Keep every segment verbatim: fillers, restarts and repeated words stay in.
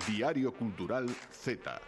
Diario Cultural Z.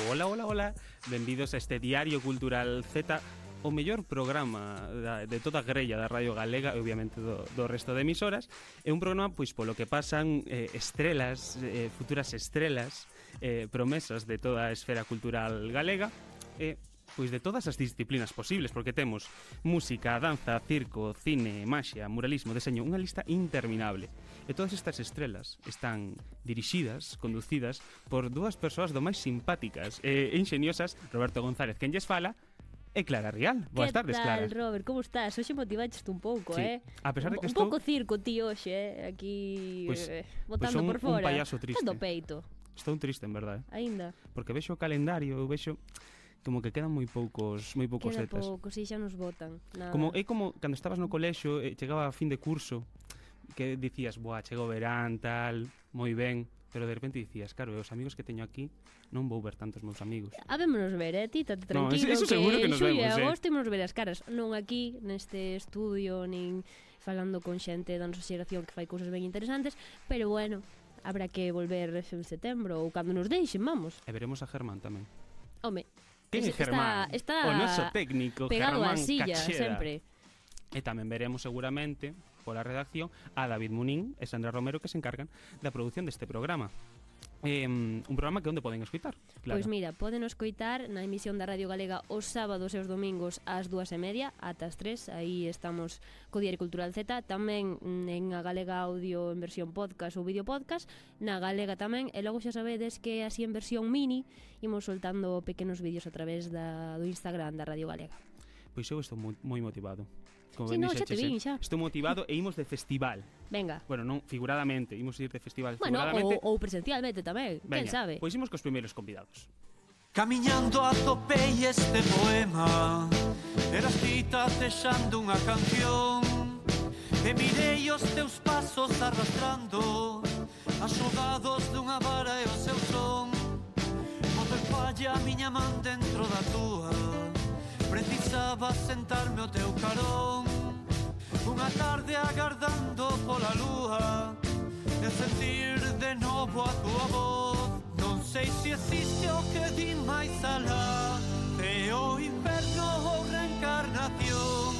Hola, hola, hola. Benvidos a este Diario Cultural Z, o mellor programa da, de toda a grella da Radio Galega e obviamente do, do resto de emisoras. É un programa pois polo que pasan eh, estrelas, eh, futuras estrelas, eh, promesas de toda a esfera cultural galega, e pois de todas as disciplinas posibles, porque temos música, danza, circo, cine, maxia, muralismo, deseño, unha lista interminable. E todas estas estrelas están dirixidas, conducidas por dúas persoas do máis simpáticas e ingeniosas, Roberto González, quen lles fala, e Clara Rial. Boas tardes, Clara. Que tal, Robert? Como estás? Hoxe motivaste un pouco, sí. eh? A pesar de que un, estou... un pouco circo, tío, hoxe, eh? Aquí, pues, eh, botando pues un, por fora. un payaso triste. Cando peito. Estou triste, en verdade. Ainda. Porque vexo o calendario, eu vexo como que quedan moi poucos, moi poucos Queda zetas. pouco, si xa nos botan. Nada. Como é como cando estabas no colexio e chegaba a fin de curso, que dicías, boa, chegou verán, tal, moi ben, pero de repente dicías, claro, os amigos que teño aquí non vou ver tantos meus amigos. Habémonos ver, eh, ti, tate tranquilo, no, eso, eso seguro que nos xullo vemos, e eh. agosto imos ver as caras, non aquí neste estudio, nin falando con xente da nosa xeración que fai cousas ben interesantes, pero bueno, habrá que volver en setembro ou cando nos deixen, vamos. E veremos a Germán tamén. Home, Quen é Germán? Está, está o noso técnico, pegado Germán á silla, Cacheda. sempre. E tamén veremos seguramente pola redacción a David Munín e Sandra Romero, que se encargan da produción deste programa. Eh, un programa que onde poden escoitar, claro. Pois mira, poden escoitar na emisión da Radio Galega os sábados e os domingos ás dúas e media ata as tres, aí estamos co Diario Cultural Z, tamén en a Galega Audio en versión podcast ou vídeo podcast, na Galega tamén, e logo xa sabedes que así en versión mini imos soltando pequenos vídeos a través da, do Instagram da Radio Galega. Pois eu estou moi, moi motivado. Como sí, ben no, xa te vin, xa. Estou motivado e imos de festival. Venga. Bueno, non figuradamente, imos ir de festival bueno, figuradamente. Ou, ou presencialmente tamén, quen sabe. Pois imos cos primeiros convidados. Camiñando atopei este poema, eras ti tacexando unha canción, e mirei os teus pasos arrastrando, axogados dunha vara e o seu son. Bota falla a miña man dentro da túa, precisaba sentarme ao teu carón, unha tarde agardando pola lúa, e sentir de novo a túa voz. Non sei se existe o que di máis alá, é o inferno ou reencarnación,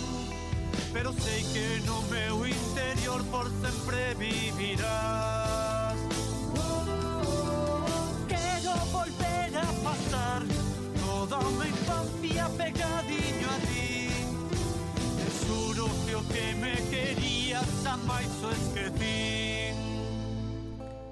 pero sei que no meu interior por sempre vivirás. Quero volver a pasar toda unha infancia pegadiño a ti, te xuro que o que me querías amais o esquecín.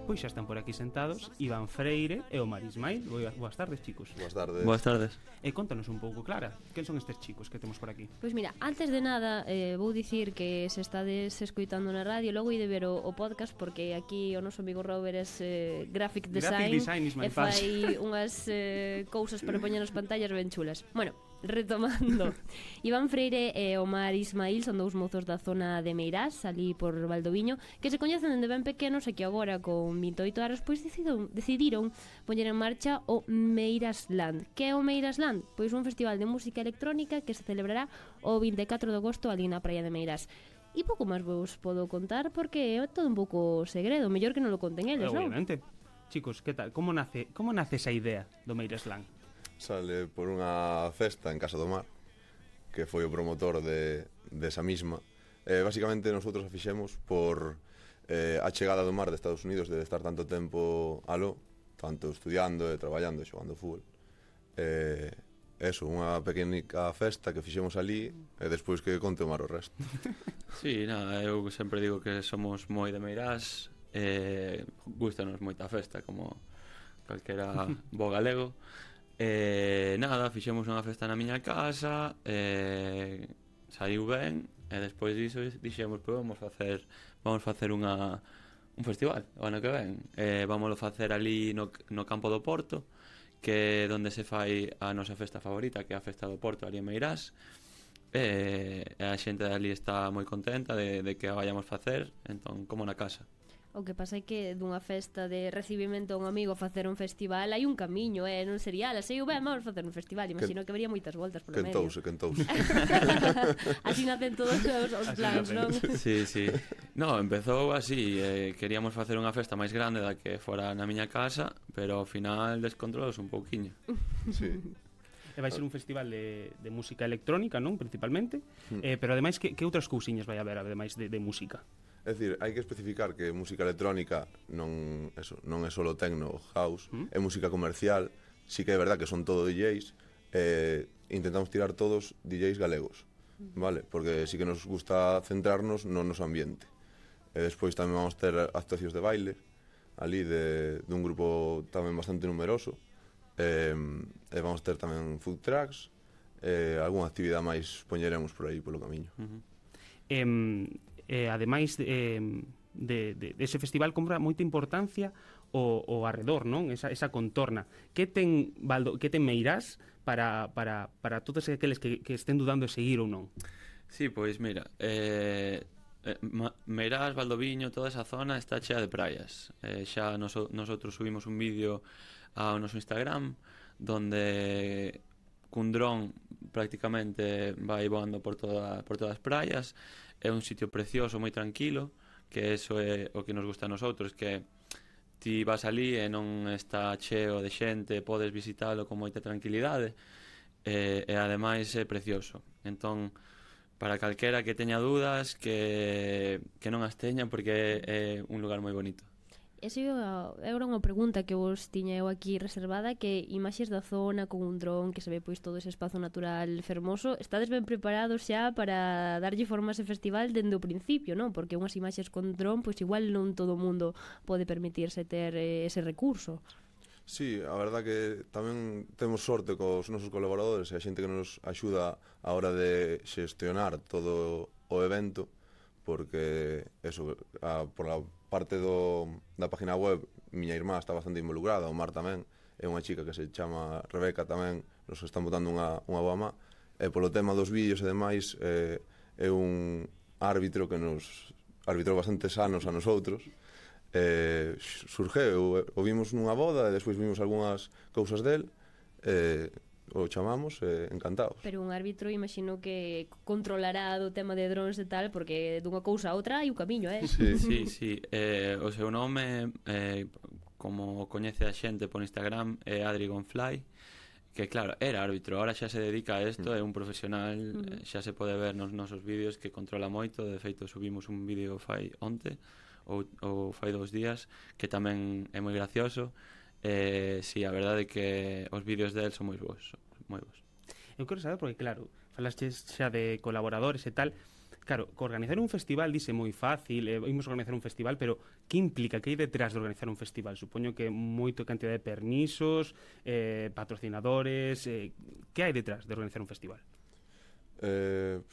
Pois xa están por aquí sentados Iván Freire e Omar Ismail. Boas tardes, chicos. Boas tardes. Boas tardes. E contanos un pouco, Clara, quen son estes chicos que temos por aquí? Pois mira, antes de nada eh, vou dicir que se estades escoitando na radio, logo ide ver o, o podcast, porque aquí o noso amigo Robert é eh, graphic design, graphic design e fai unhas eh, cousas para poñer nas pantallas ben chulas. Bueno, retomando, Iván Freire e Omar Ismail son dous mozos da zona de Meirás, ali por Valdoviño, que se coñecen dende ben pequenos e que agora con vinte e oito anos pois decidiron, decidiron poñer en marcha o Meirasland. Que é o Meirasland? Pois un festival de música electrónica que se celebrará o vinte e catro de agosto ali na praia de Meirás. E pouco máis vos podo contar porque é todo un pouco segredo, mellor que non lo conten eles, non? Obviamente. Chicos, que tal? Como nace, como nace esa idea do Meirasland? Sale por unha festa en Casa do Mar, que foi o promotor de, de esa misma. Eh, basicamente, nosotros a fixemos por eh, a chegada do mar de Estados Unidos, de estar tanto tempo aló, tanto estudiando e traballando e xogando fútbol. Eh, eso, unha pequenica festa que fixemos ali, e despois que conte o mar o resto. Sí, nada, eu sempre digo que somos moi de Meirás, eh, gustanos moita festa, como calquera bo galego. E nada, fixemos unha festa na miña casa, e saiu ben, e despois diso dixemos, pois vamos facer vamos facer unha un festival o ano que ven. E vámoslo facer ali no, no campo do Porto, que é onde se fai a nosa festa favorita, que é a festa do Porto, ali en Meirás. E a xente ali está moi contenta de, de que a vayamos facer, entón, como na casa. O que pasa é que dunha festa de recibimento a un amigo a facer un festival hai un camiño, eh? Non sería, ala, sei ben, vamos facer un festival. Imagino que habería moitas voltas polo medio. Quentouse, quentouse. Así nacen todos os, os plans, non? Sí, sí. No, empezou así, eh, queríamos facer unha festa máis grande da que fora na miña casa, pero ao final descontrolouse un pouquiño. Sí. E vai ser un festival de, de música electrónica, non? Principalmente. Mm. Eh, pero ademais, que, que outras cousiñas vai haber, ademais de, de música? É dicir, hai que especificar que música electrónica non, eso, non é solo techno ou house, Mm. é música comercial, sí que é verdad que son todo D Js, eh, intentamos tirar todos D Js galegos, vale? Porque sí que nos gusta centrarnos no noso ambiente. E despois tamén vamos ter actuacións de baile, ali de, de un grupo tamén bastante numeroso, e, e vamos ter tamén food trucks, e algunha actividade máis poñeremos por aí polo camiño. Uh -huh. Eh, eh, ademais eh, de, de, de ese festival compra moita importancia o, o arredor, non? Esa, esa contorna. Que ten, Valdo, que ten Meirás para, para, para todos aqueles que, que estén dudando de seguir ou non? Sí, pois mira, eh, eh, Meirás, Valdoviño, toda esa zona está chea de praias. Eh, xa noso, nosotros subimos un vídeo ao noso Instagram donde cun dron prácticamente vai voando por, toda, por todas as praias. É un sitio precioso, moi tranquilo, que eso é o que nos gusta a nosotros, que ti vas ali e non está cheo de xente, podes visitalo con moita tranquilidade, e, e ademais é precioso. Entón, para calquera que teña dúdas, que, que non as teña, porque é, é un lugar moi bonito. Esa era unha pregunta que vos tiña eu aquí reservada, que imaxes da zona con un dron que se ve pois todo ese espazo natural fermoso, estades ben preparados xa para darlle forma a ese festival dende o principio, non? Porque unhas imaxes con dron, pois igual non todo o mundo pode permitirse ter eh, ese recurso. Sí, a verdad que tamén temos sorte cos nosos colaboradores e a xente que nos axuda a hora de xestionar todo o evento, porque eso, a, por a parte do, da página web, miña irmá está bastante involucrada, o Mar tamén, é unha chica que se chama Rebeca tamén, nos están botando unha, unha boa má, e polo tema dos vídeos e demais, eh, é un árbitro que nos arbitrou bastantes anos a nosotros, eh, surgeu, o vimos nunha boda e despois vimos algunhas cousas del, eh, o chamamos, eh, encantados. Pero un árbitro imagino que controlará do tema de drones e tal, porque dunha cousa a outra hai o camiño, eh? Sí, Sí, sí. Eh, o seu nome, eh, como coñece a xente por Instagram, é Adri Gonfly, que claro, era árbitro, ahora xa se dedica a isto, é un profesional, Mm. xa se pode ver nos nosos vídeos que controla moito. De feito, subimos un vídeo fai onte ou, ou fai dous días, que tamén é moi gracioso. Eh, si, sí, a verdade é que os vídeos del son moi bons, moi bons. Eu quero saber, porque claro, falaste xa de colaboradores e tal. Claro, que organizar un festival dice moi fácil, eh, imos organizar un festival, pero que implica, que hai detrás de organizar un festival? Supoño que moito cantidad de permisos, eh, patrocinadores, eh, que hai detrás de organizar un festival? Eh,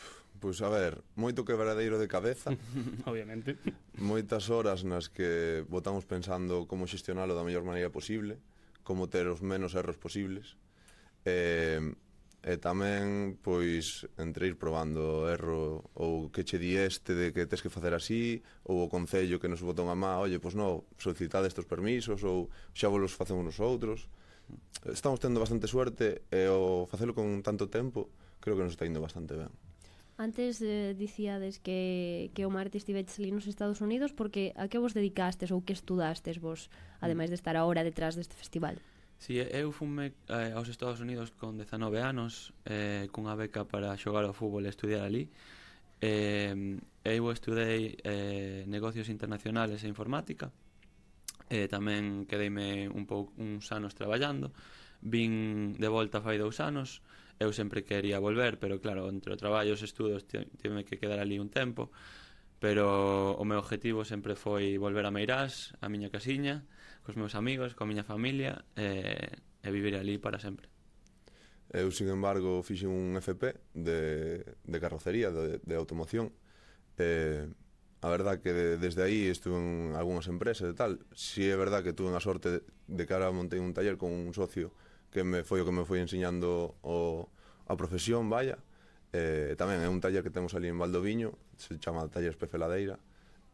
pois a ver, moito quebradeiro de cabeza, Obviamente. moitas horas nas que botamos pensando como xestionalo da mellor maneira posible, como ter os menos erros posibles, e, e tamén, pois, entre ir probando erro, ou que che di este de que tes que facer así, ou o concello que nos botou a má, oye, pois non, solicitade estes permisos, ou xa vos los facemos nosotros. Estamos tendo bastante suerte, e o facelo con tanto tempo, creo que nos está indo bastante ben. Antes eh, dicíades que, que o Marte estiveches ali nos Estados Unidos, porque a que vos dedicastes ou que estudastes vos, ademais de estar agora detrás deste festival? Si, eu fume eh, aos Estados Unidos con dezanove anos, eh, cunha beca para xogar ao fútbol e estudiar ali. Eh, eu estudei eh, negocios internacionales e informática, e tamén quedeime un pouco uns anos traballando. Vin de volta fai dous anos. Eu sempre quería volver, pero claro, entre o traballo e os estudos tive que quedar ali un tempo, pero o meu objetivo sempre foi volver a Meirás, a miña casiña, cos meus amigos, coa miña familia, e, e vivir ali para sempre. Eu, sin embargo, fixe un F P de, de carrocería, de, de automoción. Eh, a verdad que de, desde aí estuve en algunhas empresas e tal. Si é verdad que tuve a sorte de, de que ahora montei un taller con un socio que me foi o que me foi enseñando o, a profesión, vaya. Eh, tamén é un taller que temos ali en Valdoviño, se chama Taller Especeladeira.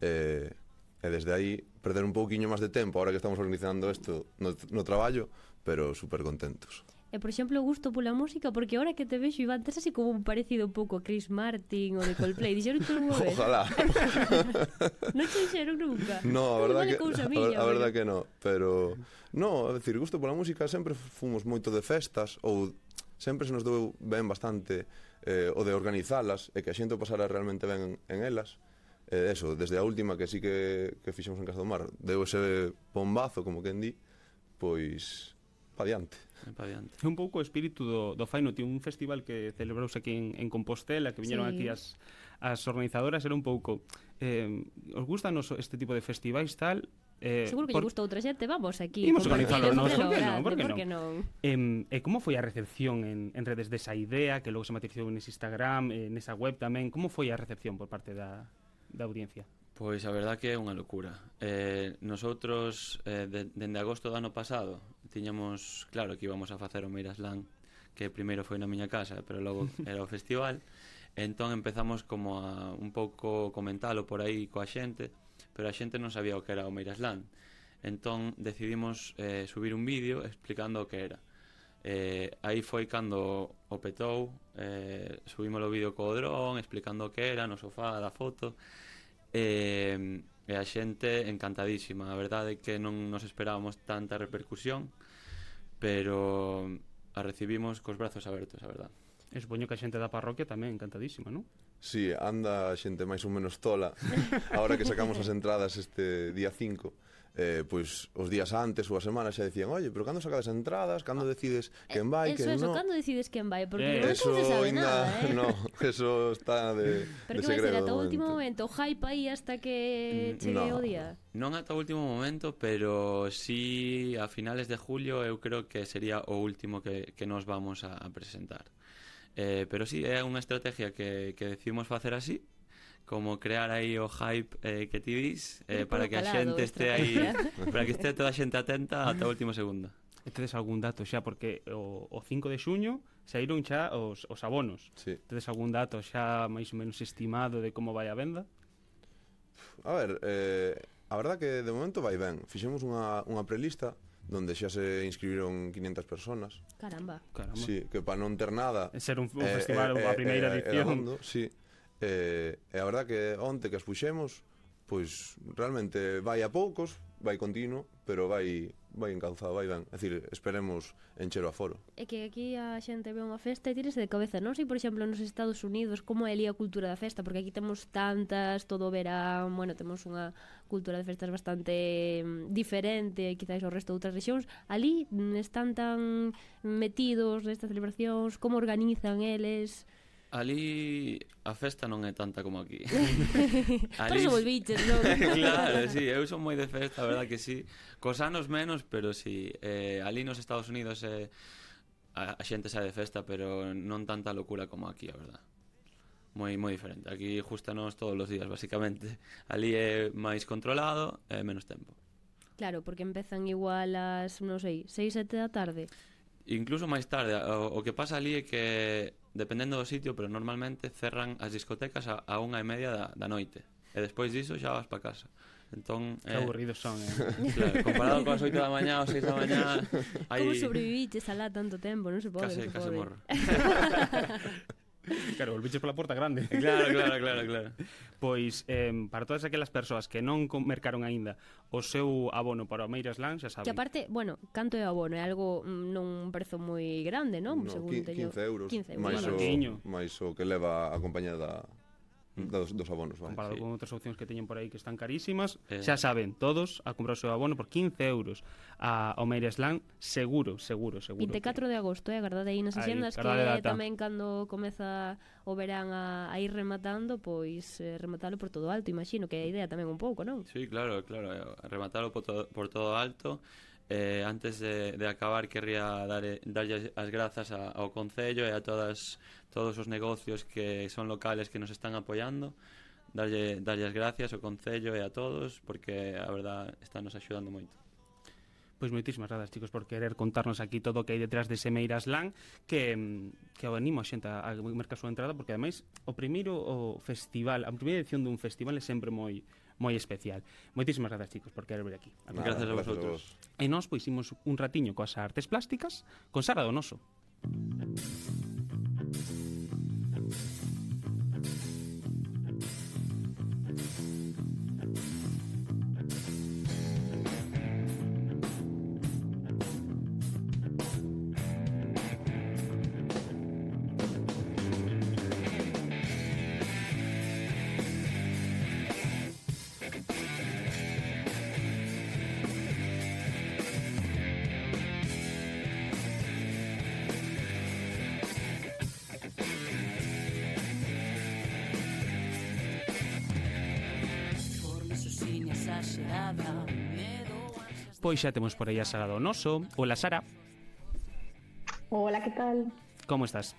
Eh, e desde aí perder un pouquiño máis de tempo ahora que estamos organizando isto no, no traballo, pero super contentos. E, por exemplo, gusto pola música, porque ahora que te vexo, Iván, tes así como un parecido un pouco a Chris Martin ou de Coldplay. Dixeron tú unha vez? Ojalá. Non che dixeron nunca? No, a verdad Vale que, cousa a, miña, a verdad porque- que no, pero no, a decir, gusto pola música sempre fomos moito de festas ou sempre se nos deu ben bastante eh, o de organizalas e que a xente o pasara realmente ben en elas. Eh, eso, desde a última que sí que, que fixemos en Casa do Mar, deu ese bombazo, como quen di, pois pa diante. É pa diante. É un pouco o espírito do, do Faino, tío, un festival que celebrouse aquí en, en Compostela, que viñeron Sí. aquí as, as organizadoras, era un pouco eh, os gustanos este tipo de festivais tal, eh, Seguro que lle gusta outra xente, vamos aquí. Imos compartir organizalo ese nós, por que grande, non? Por que por non? que non? Eh, e como foi a recepción en, en redes desa idea, que logo se materializou nese Instagram, eh, nesa web tamén, como foi a recepción por parte da, da audiencia? Pois a verdad que é unha locura. Eh, nosotros, eh, de, dende agosto do ano pasado, tiñamos claro que íbamos a facer o Meiraslan, que primeiro foi na miña casa, pero logo era o festival. Entón empezamos como a un pouco comentalo por aí coa xente, pero a xente non sabía o que era o Meiraslan. Entón decidimos eh, subir un vídeo explicando o que era. Eh, aí foi cando o petou, eh, subimos o vídeo co dron explicando o que era no sofá da foto. E, e a xente encantadísima. A verdade é que non nos esperábamos tanta repercusión, pero a recibimos cos brazos abertos, a verdade. E supoño que a xente da parroquia tamén encantadísima, non? Sí, anda a xente máis ou menos tola. Ahora que sacamos as entradas este día cinco, eh, pois os días antes ou a semana xa decían, oye, pero cando sacades entradas, cando decides quen vai, Eso, quen eso, non? cando decides quen vai? Porque Eh, non Eso se sabe ainda, nada, eh? no, eso está de, Pero de que vai ser segredo ata de o último momento. momento, o hype aí hasta que Mm, chegue o no. día. Non ata o último momento, pero sí a finales de julio eu creo que sería o último que, que nos vamos a, a presentar. Eh, pero sí, é unha estrategia que, que decidimos facer así, como crear aí o hype eh, que ti dis, eh, Ir para polo que a calado, xente este aí, estrategia. para que este toda a xente atenta ata o último segundo. E tedes algún dato xa, porque o, o cinco de xuño saíron xa os, os abonos. Sí. Tedes algún dato xa máis ou menos estimado de como vai a venda? A ver, eh, a verdad que de momento vai ben. Fixemos unha, unha prelista donde xa se inscribiron quinientas personas. Caramba. Caramba. Sí, que para non ter nada E ser un, un eh, festival, eh, a primeira eh, edición. era hondo, sí. Eh, e a verdad que onte que as puxemos, pois realmente vai a poucos, vai continuo, pero vai vai encauzado, vai ben. É dicir, esperemos encher o aforo. É que aquí a xente ve unha festa e tírese de cabeza. Non sei, por exemplo, nos Estados Unidos como é ali a cultura da festa, porque aquí temos tantas, todo o verán, bueno, temos unha cultura de festas bastante mm, diferente, quizás ao resto de outras rexións. Ali mm, están tan metidos nestas celebracións, como organizan eles. Ali a festa non é tanta como aquí. Por eso volviches, non? Claro, sí, eu son moi de festa, a verdad que sí. Cos anos menos, pero sí. Eh, ali nos Estados Unidos eh, a, a xente sae de festa, pero non tanta locura como aquí, a verdad. Moi moi diferente. Aquí justanos todos os días, basicamente. Ali é máis controlado e menos tempo. Claro, porque empezan igual ás, non sei, seis, sete da tarde. Incluso máis tarde, o, o que pasa ali é que dependendo do sitio, pero normalmente cerran as discotecas a, a unha e media da, da noite. E despois diso xa vas pa casa. Entón, Que aburridos son, eh? claro, comparado con as oito da mañá ou seis da mañá, aí Como sobreviviches alá tanto tempo? Non se pode, case, non se case pode. morro. Claro, volviches pola porta grande. Claro, claro, claro, claro. Pois, eh, para todas aquelas persoas que non com- mercaron aínda o seu abono para o Meiraslan, xa saben. Que aparte, bueno, canto é o abono? É algo, mm, non un prezo moi grande, non? No, Según qui- teño... quince euros, quince euros. máis o, Baratiño. máis o que leva a compañía da, dos, dos abonos, vale. Comparado Sí. con outras opcións que teñen por aí que están carísimas, Eh. xa saben, todos a comprar o seu abono por quince euros a, ao Meiraslan, seguro, seguro, seguro. vinte e catro de agosto, eh, agardade aí nas Aí, axendas que agardade data. tamén cando comeza o verán a, a ir rematando, pois eh, rematalo por todo alto, imagino que é a idea tamén un pouco, non? Sí, claro, claro, eh, rematarlo por todo, por todo alto. Eh, antes de, de acabar querría dar, darlle as grazas a, ao Concello e a todas todos os negocios que son locales que nos están apoiando, darlle, darlle as gracias ao Concello e a todos, porque a verdad están nos axudando moito. Pois moitísimas grazas, chicos, por querer contarnos aquí todo o que hai detrás dese Meiraslan, que, mm, que animo a xente a, a mercar a súa entrada, porque ademais o primeiro o festival, a primeira edición dun festival é sempre moi moi especial. Moitísimas grazas, chicos, por querer vir aquí. Nada, Gracias a vosotros. E nós pois imos un ratiño coas artes plásticas con Sara Donoso. Pois xa temos por aí a Sara Donoso. Hola, Sara. Hola, que tal? Como estás?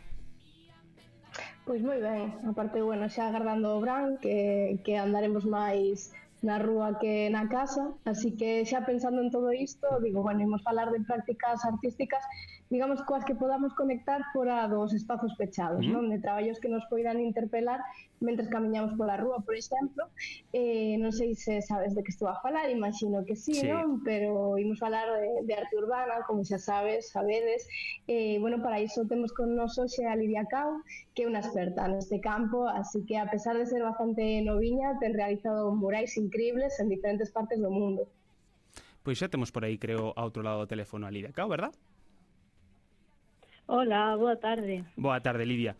Pois moi ben, aparte, bueno, xa agardando o Bran, que, que andaremos máis na rúa que na casa, así que xa pensando en todo isto, digo, bueno, imos falar de prácticas artísticas, digamos, coas que podamos conectar fora dos espazos pechados, mm. non? De traballos que nos poidan interpelar mentres camiñamos pola rúa, por exemplo. Eh, non sei se sabes de que estou a falar, imagino que sí, sí. non? Pero imos falar de, de arte urbana, como xa sabes, sabedes. Eh, bueno, para iso temos con nos hoxe a Lidia Cao, que é unha experta neste campo, así que a pesar de ser bastante noviña, ten realizado murais increíbles en diferentes partes do mundo. Pois xa temos por aí, creo, a outro lado do teléfono a Lidia Cao, verdad? Hola, boa tarde. Boa tarde, Lidia.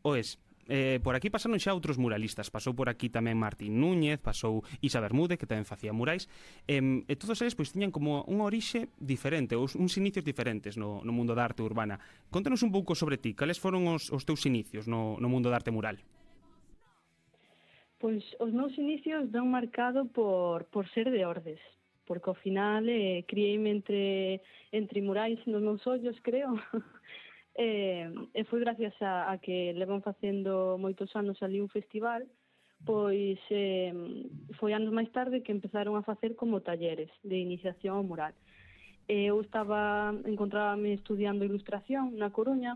Oes, eh, por aquí pasaron xa outros muralistas. Pasou por aquí tamén Martín Núñez, pasou Isa Bermúdez, que tamén facía murais. Eh, e todos eles pois tiñan como unha orixe diferente, ou uns inicios diferentes no, no mundo da arte urbana. Contanos un pouco sobre ti, cales foron os, os teus inicios no, no mundo da arte mural? Pois os meus inicios dan marcado por, por ser de Ordes, porque ao final eh, criei-me entre, entre murais nos meus ollos, creo. E, e foi gracias a, a que levan facendo moitos anos ali un festival, pois eh, foi anos máis tarde que empezaron a facer como talleres de iniciación ao mural. E eu estaba, encontrábame estudiando ilustración na Coruña,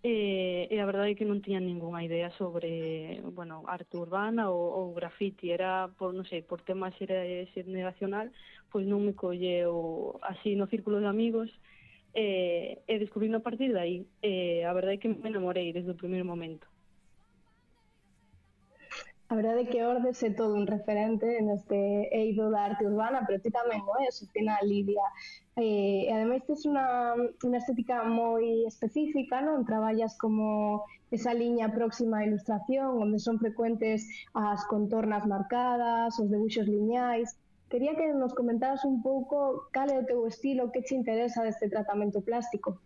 e, e a verdade é que non tiña ningunha idea sobre, bueno, arte urbana ou, ou graffiti. Era, por, non sei, por tema xeracional, pois non me colleu así no círculo de amigos. E, e descubrindo a partir de aí. E a verdade é que me enamorei desde o primeiro momento. A verdade é que Ordes é todo un referente neste eido da arte urbana, pero ti tamén o és, ao final, Lidia. E, e ademais tes unha, unha estética moi específica, non? Traballas como esa liña próxima á ilustración, onde son frecuentes as contornas marcadas, os debuxos liñais. Quería que nos comentaras un pouco cal é o teu estilo, que che interesa deste tratamento plástico.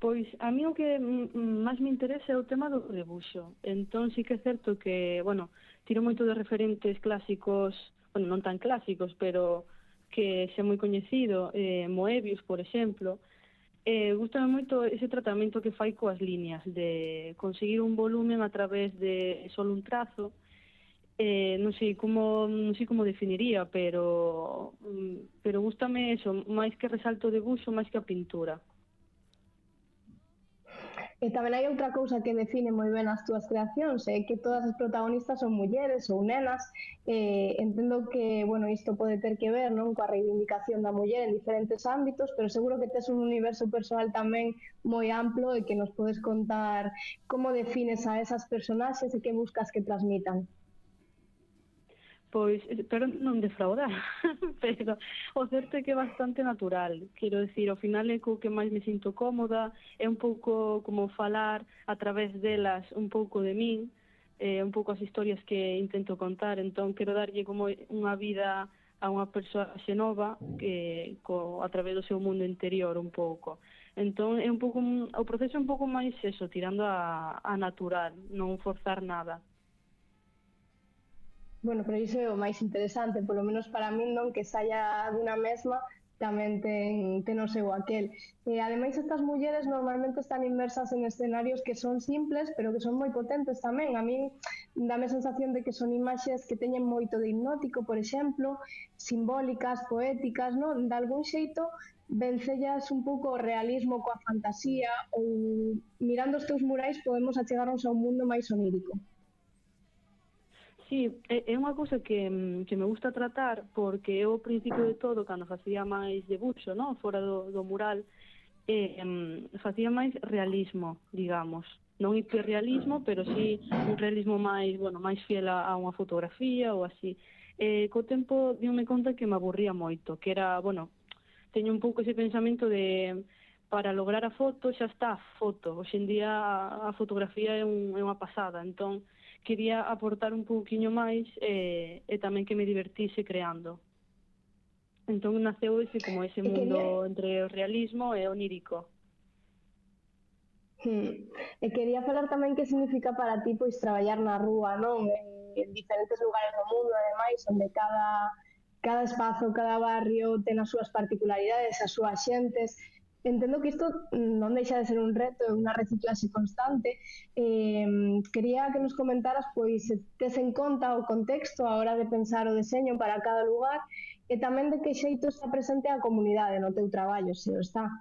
Pois a mí o que máis me interesa é o tema do debuxo. Entón sí que é certo que, bueno, tiro moito de referentes clásicos, bueno, non tan clásicos, pero que xe moi coñecido, eh, Moebius, por exemplo. Eh, gustame moito ese tratamento que fai coas líneas, de conseguir un volumen a través de solo un trazo. Eh, non sei como non sei como definiría, pero pero gústame eso, máis que resalto o debuxo, máis que a pintura. E tamén hai outra cousa que define moi ben as túas creacións, é que todas as protagonistas son mulleres ou nenas. Eh, entendo que, bueno, isto pode ter que ver, non, coa reivindicación da muller en diferentes ámbitos, pero seguro que tes un universo persoal tamén moi amplo e que nos podes contar como defines a esas personaxes e que buscas que transmitan. Pois, espero non defraudar, pero o certo é que é bastante natural. Quero dicir, ao final é co que máis me sinto cómoda, é un pouco como falar a través delas un pouco de min, eh, un pouco as historias que intento contar, entón quero darlle como unha vida a unha persoa nova que, co, a través do seu mundo interior un pouco. Entón é un pouco, o proceso é un pouco máis eso, tirando a, a natural, non forzar nada. Bueno, pero iso é o máis interesante, polo menos para min, non, que saia dunha mesma tamén ten, ten o seu aquel. E ademais estas mulleres normalmente están inmersas en escenarios que son simples, pero que son moi potentes tamén. A min dame a sensación de que son imaxes que teñen moito de hipnótico, por exemplo, simbólicas, poéticas, non? De algún xeito vencellas un pouco o realismo coa fantasía, ou mirando os teus murais podemos achegarnos a un mundo máis onírico. Sí, é, é unha cousa que, que me gusta tratar porque eu ao principio de todo, cando facía máis debuxo, non? Fora do, do mural, eh, facía máis realismo, digamos. Non hiperrealismo, pero sí un realismo máis, bueno, máis fiel a, a unha fotografía ou así. Eh, co tempo diome conta que me aburría moito, que era, bueno, teño un pouco ese pensamento de para lograr a foto xa está a foto. Hoxe en día a, a fotografía é, un, é unha pasada, entón quería aportar un pouquiño máis eh, e tamén que me divertise creando. Entón naceu ese como ese mundo entre o realismo e o onírico. Hmm. E quería falar tamén que significa para ti pois traballar na rúa, non? En diferentes lugares do mundo, ademais, onde cada, cada espazo, cada barrio ten as súas particularidades, as súas xentes. Entendo que isto non deixa de ser un reto, é unha reciclaxe constante. Eh, quería que nos comentaras pois se tes en conta o contexto a hora de pensar o deseño para cada lugar e tamén de que xeito está presente a comunidade no teu traballo, se o está.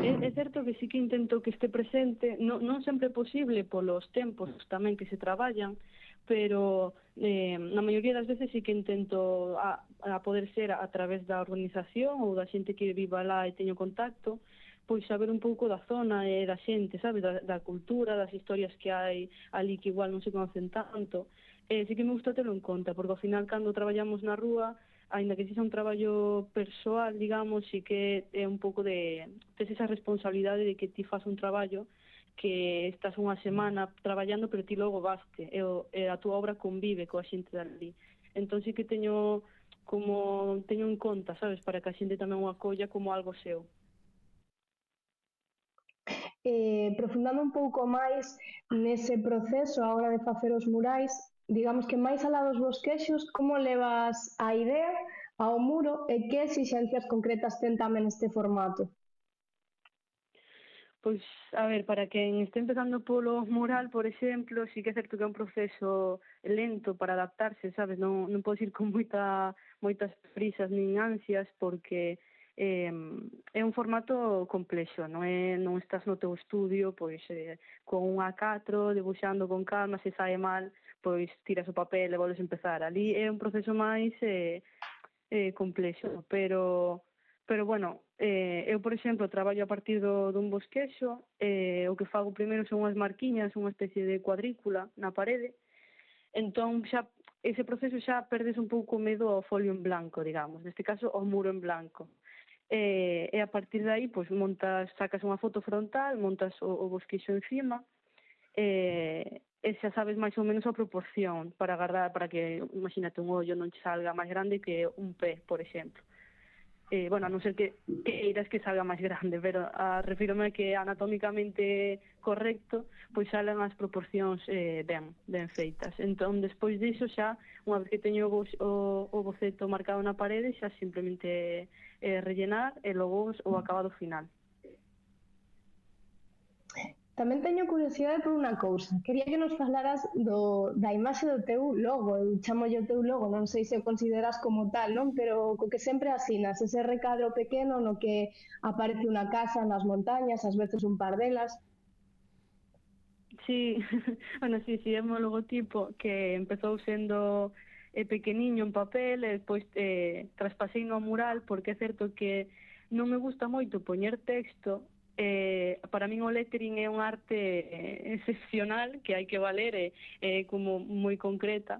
É, é certo que sí que intento que este presente, non, non sempre é posible polos tempos tamén que se traballan, pero eh, na maioría das veces sí que intento a, a poder ser a, a través da organización ou da xente que viva lá e teño contacto, pois saber un pouco da zona e da xente, sabe, da, da cultura, das historias que hai ali que igual non se conocen tanto. Eh, sí que me gusta terlo en conta, porque ao final cando traballamos na rúa, aínda que sexa un traballo persoal, digamos, sí que é un pouco de tes esa responsabilidade de que ti faz un traballo que estás unha semana traballando, pero ti logo vaste, e, o, e a túa obra convive coa xente dali. Entón sí que teño como teño en conta, sabes, para que a xente tamén o acolla como algo seu. Eh, profundando un pouco máis nese proceso a hora de facer os murais, digamos que máis alá dos bosquexos, como levas a idea ao muro e que exixencias concretas ten tamén este formato? Pois, a ver, para quen este empezando polo mural, por exemplo, sí que é certo que é un proceso lento para adaptarse, sabes? Non, non podes ir con moita, moitas prisas nin ansias, porque eh, é un formato complexo, non é non estás no teu estudio, pois eh, con un A catro, debuxando con calma, se sae mal, pois tiras o papel e volves a empezar. Ali é un proceso máis eh, eh, complexo, pero... Pero, bueno, eh, eu, por exemplo, traballo a partir do, dun bosquexo, eh, o que fago primeiro son unhas marquiñas, unha especie de cuadrícula na parede, entón xa ese proceso xa perdes un pouco o medo ao folio en blanco, digamos, neste caso ao muro en blanco. E, e a partir de aí, pois, montas, sacas unha foto frontal, montas o, o bosquexo encima, e, e xa sabes máis ou menos a proporción para agarrar, para que, imagínate, un ollo non che salga máis grande que un pé, por exemplo. Eh, bueno, a non ser que queiras que salga máis grande, pero a, refírome a que anatómicamente correcto, pois salen as proporcións eh, ben, ben feitas. Entón, despois diso xa, unha vez que teño o, o, o boceto marcado na parede, xa simplemente eh, rellenar e logo o acabado final. Tamén teño curiosidade por unha cousa. Quería que nos falaras do, da imaxe do teu logo. Eu chamolle o teu logo, non sei se o consideras como tal, non? Pero co que sempre asinas, ese recadro pequeno no que aparece unha casa nas montañas, ás veces un par delas. Sí, bueno, sí, sí, é o logotipo que empezou sendo eh, pequeniño en papel e despois eh, traspasei no mural, porque é certo que non me gusta moito poñer texto. Eh, para min o lettering é unha arte eh, excepcional que hai que valer e eh, como moi concreta,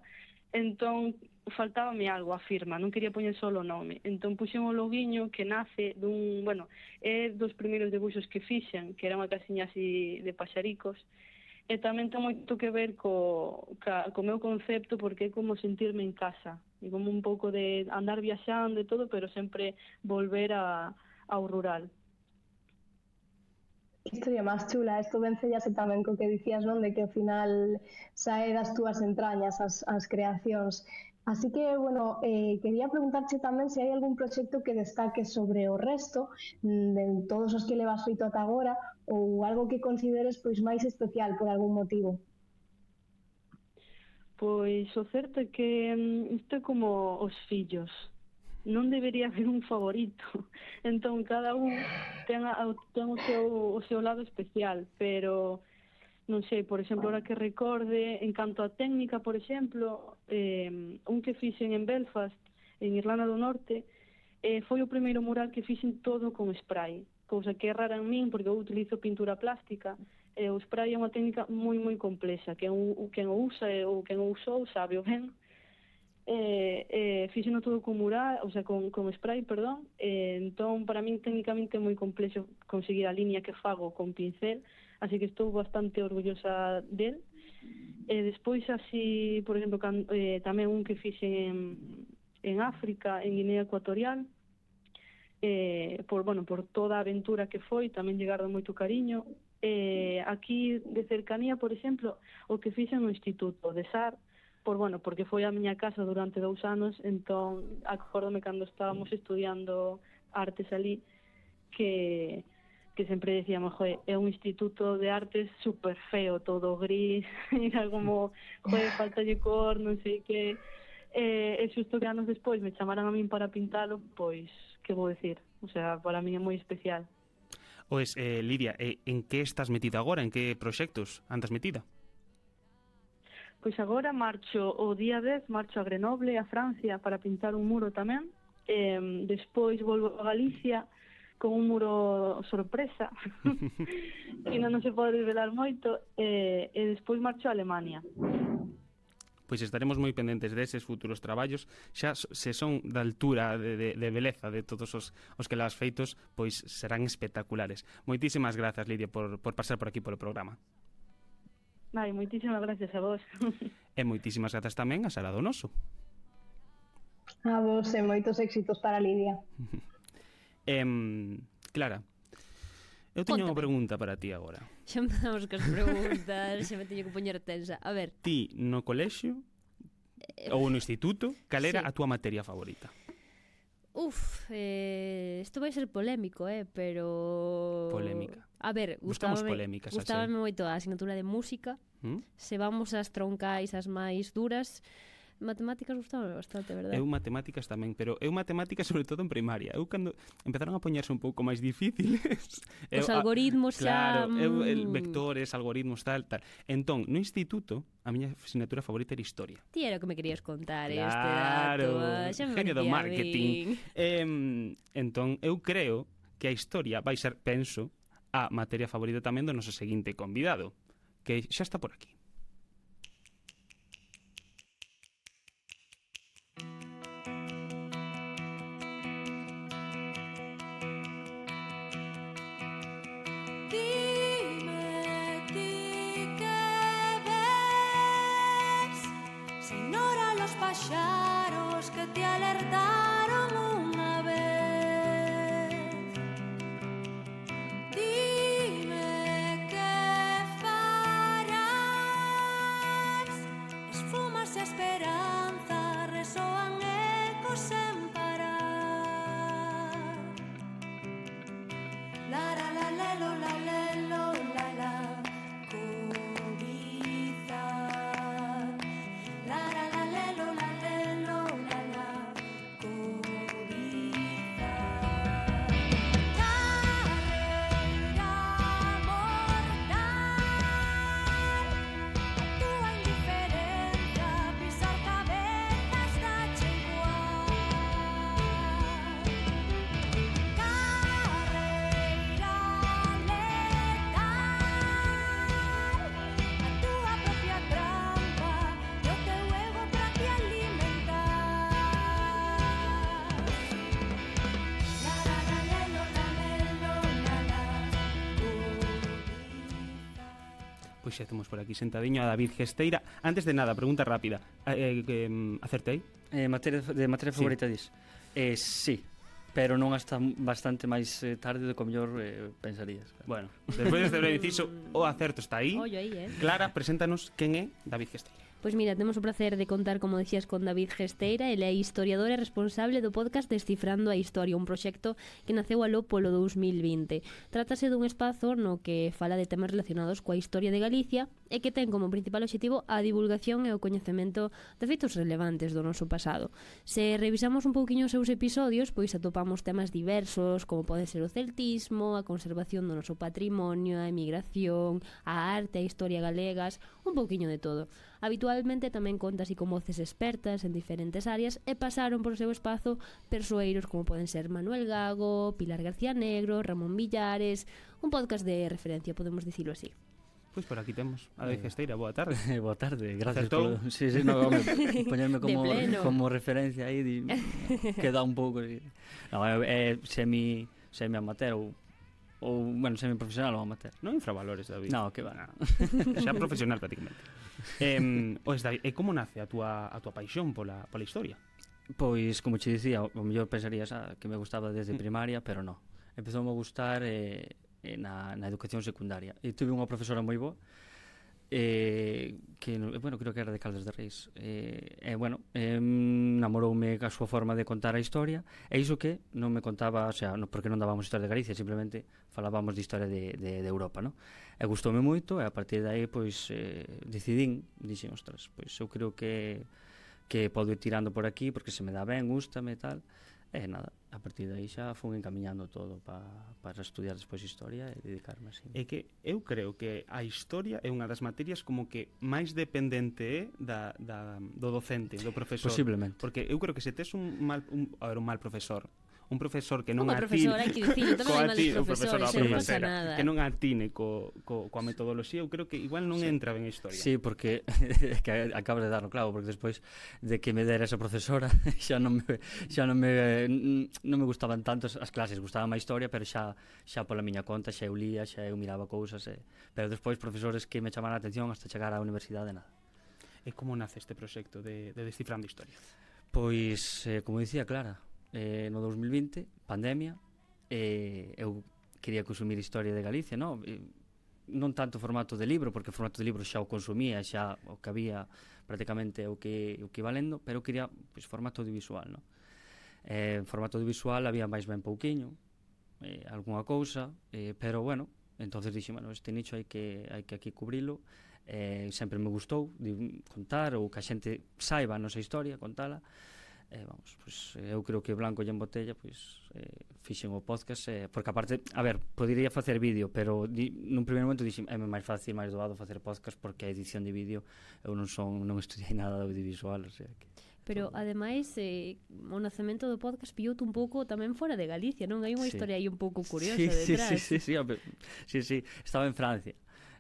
entón faltábame algo, a firma, non quería poñer solo o nome, entón puxen o loguiño que nace dun, bueno, é dos primeiros debuxos que fixen, que era unha casiña así de paxaricos, e tamén ten moito que ver co, ca, co meu concepto, porque é como sentirme en casa, e como un pouco de andar viaxando e todo, pero sempre volver a, ao rural. Que historia máis chula, isto vencellase tamén co que dicías, non? De que ao final sae das túas entrañas as, as creacións. Así que, bueno, eh, quería preguntarche tamén se hai algún proxecto que destaque sobre o resto de todos os que levas feito ata agora ou algo que consideres pois máis especial por algún motivo. Pois o certo é que isto é como os fillos. Non debería haber un favorito. Entón, cada un ten, a, ten o, seu, o seu lado especial, pero non sei, por exemplo, ahora que recorde, en canto a técnica, por exemplo, eh, un que fixen en Belfast, en Irlanda do Norte, eh, foi o primeiro mural que fixen todo con spray, cousa que é rara en min, porque eu utilizo pintura plástica, e o spray é unha técnica moi, moi complexa, que quen o usa ou quen o usou sabe o ben. Eh, eh, fixeno todo con mural, o sea, con, con spray, perdón, eh, entón, para min, técnicamente é moi complexo conseguir a línea que fago con pincel, así que estou bastante orgullosa del. E despois, así, por exemplo, can, eh, tamén un que fixen en, en África, en Guinea Ecuatorial, eh, por, bueno, por toda a aventura que foi, tamén llegaron moito cariño. Eh, aquí, de cercanía, por exemplo, o que fixen no Instituto de S A R, por, bueno, porque foi a miña casa durante dous anos, entón, acórdome cando estábamos estudiando artes ali, que... que sempre decíamos, joe, é un instituto de artes super feo, todo gris, era como, joe, falta de cor, non sei que... E, e xusto que anos despois me chamaran a min para pintalo, pois, que vou decir? O sea, para mí é moi especial. Pois, eh, Lidia, eh, en que estás metida agora? En que proxectos andas metida? Pois agora marcho o día dez, marcho a Grenoble, a Francia, para pintar un muro tamén. Eh, despois volvo a Galicia, con un muro sorpresa que non se pode revelar moito, e, e despois marcho a Alemania. Pois estaremos moi pendentes deses futuros traballos, xa se son da altura de, de, de beleza de todos os, os que las feitos, pois serán espectaculares. Moitísimas grazas, Lidia, por, por pasar por aquí polo programa. Vai, moitísimas gracias a vos. E moitísimas grazas tamén a Sara Donoso. A vos e moitos éxitos para Lidia. Eh, Clara, eu teño unha pregunta para ti agora. Xa empezamos cas preguntas, xa me teño que poñer tensa. A ver, ti no colexio eh, ou no instituto, cal era sí. a túa materia favorita? Uf, eh, isto vai ser polémico, eh, pero... Polémica. A ver, buscamos polémicas. Gustábame moito a asignatura de música. ¿Mm? Se vamos ás troncais, as máis duras... Matemáticas gustaba bastante, verdade? Eu matemáticas tamén, pero eu matemáticas sobre todo en primaria. Eu cando empezaron a poñerse un pouco máis difíciles... Os eu, algoritmos xa... Claro, mm... eu, el, vectores, algoritmos, tal, tal. Entón, no instituto, a miña asignatura favorita era historia. Ti era o que me querías contar, claro, este dato. Xa me genio do marketing. Eh, entón, eu creo que a historia vai ser, penso, a materia favorita tamén do noso seguinte convidado, que xa está por aquí. Paxaros que te alertaron unha vez. Dime que farás. Esfumas e esperanza resoan ecos sen parar. La la la lelo la lelo la la cobiza. La la la lelo la lelo la la cobiza. Carreira mortal. A túa indiferencia pisar cabezas dache igual. Carreira letal. A túa propia trampa e o teu ego pra te alimentar. La la la lelo la lelo la la cobiza. Pois xa temos por aquí sentadiño a David Gesteira. Antes de nada, pregunta rápida. Eh, eh, acertei? Eh, materia, de materia favorita, sí. Dis? Eh, sí, pero non hasta bastante máis eh, tarde do que o mellor eh, pensarías. Bueno, despois deste breve inciso, o acerto está aí. Ollo aí, eh. Clara, preséntanos quen é David Gesteira. Pois mira, temos o placer de contar, como decías, con David Gesteira. Ele é historiador e responsable do podcast Descifrando a Historia, un proxecto que naceu aló polo dous mil vinte. Trátase dun espazo no que fala de temas relacionados coa historia de Galicia e que ten como principal obxectivo a divulgación e o coñecemento de feitos relevantes do noso pasado. Se revisamos un pouquiño os seus episodios, pois atopamos temas diversos, como pode ser o celtismo, a conservación do noso patrimonio, a emigración, a arte, a historia galegas, un pouquiño de todo. Habitualmente tamén conta así con voces expertas en diferentes áreas e pasaron por o seu espazo persoeiros como poden ser Manuel Gago, Pilar García Negro, Ramón Villares, un podcast de referencia, podemos dicilo así. Pois por aquí temos a David Gesteira, boa tarde. Boa tarde, gracias Acertou? por... Sí, sí, no, home, poñerme como, De pleno. como referencia aí, di, queda un pouco... Sí. No, é, é semi, semi amateur ou, ou, bueno, semi profesional ou amateur. Non infravalores, David. No, que va. Xa profesional prácticamente. Eh, oes, David, e como nace a túa, a túa paixón pola, pola historia? Pois, como che dicía, o mellor pensarías ah, que me gustaba desde primaria, pero no. Empezou a gustar eh, na, na educación secundaria. E tuve unha profesora moi boa, eh, que, bueno, creo que era de Caldas de Reis. E, eh, eh, bueno, eh, namoroume a súa forma de contar a historia, e iso que non me contaba, o sea, no, porque non dábamos historia de Galicia, simplemente falábamos de historia de, de, de Europa, non? E gustoume moito, e a partir de aí, pois, eh, decidín, dixen, ostras, pois eu creo que que podo ir tirando por aquí, porque se me dá ben, gústame e tal, e nada, a partir de aí xa fui encamiñando todo pa, para estudiar despois historia e dedicarme así. É que eu creo que a historia é unha das materias como que máis dependente é da, da, do docente, do profesor. Posiblemente. Porque eu creo que se tes un mal, un, a ver, un mal profesor, un profesor que non Como atine... profesor, hai que dicirlo, tamén hai males profesores, non non pasa nada. Que non atine co, co, coa metodoloxía, eu creo que igual non sí. entra ben a historia. Sí, porque que acabas de dar no clavo, porque despois de que me dera esa profesora xa non me, xa non me, non me gustaban tanto as clases, gustaba máis historia, pero xa xa pola miña conta, xa eu lía, xa eu miraba cousas, e, pero despois profesores que me chamaran a atención hasta chegar á universidade, nada. E como nace este proxecto de, de Descifrando Historia? Pois, eh, como dicía Clara, eh, no dous mil vinte, pandemia, eh, eu quería consumir historia de Galicia, non? E, non tanto formato de libro, porque o formato de libro xa o consumía, xa o que había prácticamente o que, o que iba lendo, pero eu quería pois, formato audiovisual, non? Eh, formato audiovisual había máis ben pouquiño, eh, algunha cousa, eh, pero bueno, entonces dixen, bueno, este nicho hai que, hai que aquí cubrilo, eh, sempre me gustou de contar ou que a xente saiba a nosa historia, contala. Eh, vamos, pues, eu creo que Blanco e en Botella pois, eh, fixen o podcast eh, porque aparte, a ver, podería facer vídeo pero di, nun primeiro momento dixen é máis fácil, máis doado facer podcast porque a edición de vídeo eu non son, non estudiei nada de audiovisual, o sea que Pero, ademais, eh, o nacemento do podcast pilloute un pouco tamén fora de Galicia, non? Hai unha sí. historia aí un pouco curiosa sí, detrás. Sí, sí, sí, sí, sí, sí, estaba en Francia,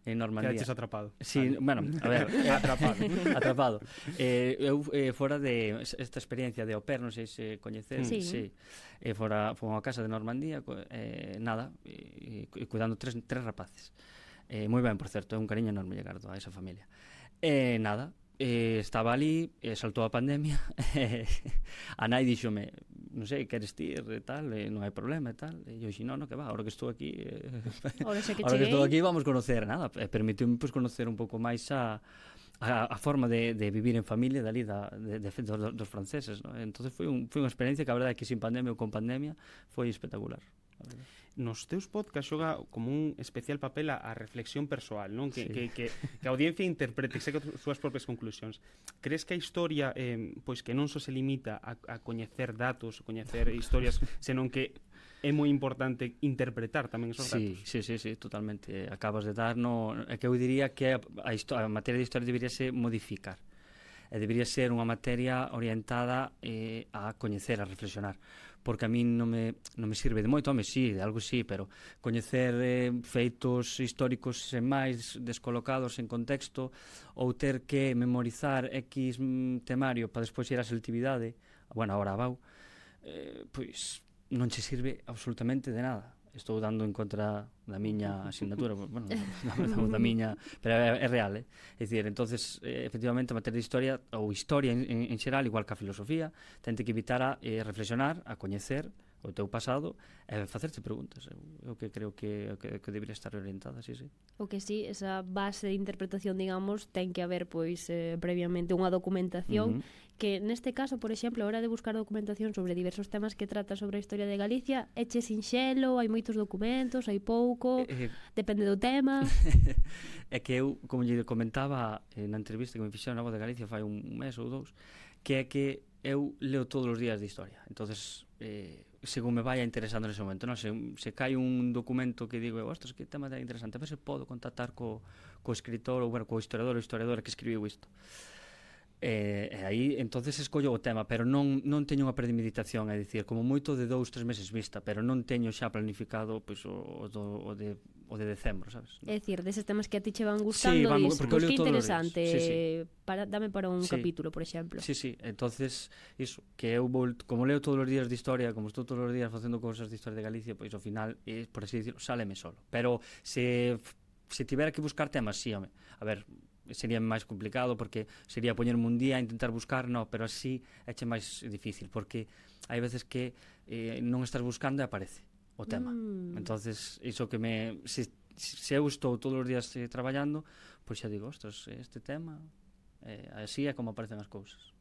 en Normandía. Quedaches atrapado. Sí, vale. bueno, a ver, eh, atrapado. atrapado. Eh, eu eh, fora de esta experiencia de au pair, non sei se coñeces, sí. sí. Eh, fora fomos a casa de Normandía, eh, nada, e, e cuidando tres, tres rapaces. Eh, moi ben, por certo, é un cariño enorme llegar a esa familia. Eh, nada, eh, estaba ali, eh, saltou a pandemia, eh, a nai díxome, non sei, queres ti e tal, eh, non hai problema e tal, e eu dixi, non, non, que va, ahora que estou aquí eh, ahora que, ahora que estou aquí vamos conocer, nada, e permitiume pues, conocer un pouco máis a, a, a forma de, de vivir en familia dali da, de, de, de, dos, dos franceses, ¿no? Entonces foi, un, foi unha experiencia que a verdade é que sin pandemia ou con pandemia foi espectacular. Nos teus podcast xoga como un especial papel a, a reflexión persoal, non? Que, sí. que, que, que a audiencia interprete, que saque as súas propias conclusións. Crees que a historia eh, pois que non só se limita a, a coñecer datos, coñecer historias, senón que é moi importante interpretar tamén esos sí, datos? Sí, sí, sí, totalmente. Acabas de dar, no, é que eu diría que a, a, a materia de historia debería ser modificar. E debería ser unha materia orientada eh, a coñecer, a reflexionar, porque a mí non me, non me sirve de moito, home, sí, de algo sí, pero coñecer eh, feitos históricos sen máis, descolocados en contexto, ou ter que memorizar X temario para despois ir á selectividade, bueno, agora a Bau, eh, pois non che sirve absolutamente de nada. Estou dando en contra da miña asignatura, bueno, da, da miña, pero é, é real, eh? É dicir, entonces, eh, efectivamente, a materia de historia, ou historia en, en, en xeral, igual que a filosofía, tente que evitar a eh, reflexionar, a coñecer o teu pasado e facerte preguntas. Eu, eu que creo que, que, que debería estar orientada, sí, sí. O que sí, esa base de interpretación, digamos, ten que haber pois eh, previamente unha documentación Uh-huh. que neste caso, por exemplo, a hora de buscar documentación sobre diversos temas que trata sobre a historia de Galicia, eche sinxelo, hai moitos documentos, hai pouco, Eh, depende do tema. É que eu, como lle comentaba eh, na entrevista que me fixeron na Voz de Galicia fai un mes ou dous, que é que eu leo todos os días de historia. Entonces, eh, según me vai interesando nese momento, non? Se, se cai un documento que digo, ostras, que tema tan interesante, a ver se podo contactar co, co escritor ou, bueno, co historiador ou historiadora que escribiu isto. E, e aí, entonces escollo o tema, pero non, non teño unha premeditación, é dicir, como moito de dous, tres meses vista, pero non teño xa planificado pois, o, o, do, o, de, o de decembro, sabes? É dicir, deses temas que a ti che van gustando, Sí, vamos, dis, porque eu pois leo que todos os interesante, días. Sí, sí. para, dame para un Sí. capítulo, por exemplo. Sí, sí, entonces iso, que eu vou, como leo todos os días de historia, como estou todos os días facendo cousas de historia de Galicia, pois ao final, eh, por así dicirlo, sáleme solo. Pero se se tivera que buscar temas, sí, home. A ver, sería máis complicado porque sería poñerme un día a intentar buscar, no, pero así éche máis difícil porque hai veces que eh, non estás buscando e aparece o tema. Mm. Entonces, iso que me se, se eu estou todos os días eh, traballando, pois xa digo, ostras, este tema eh, así é como aparecen as cousas.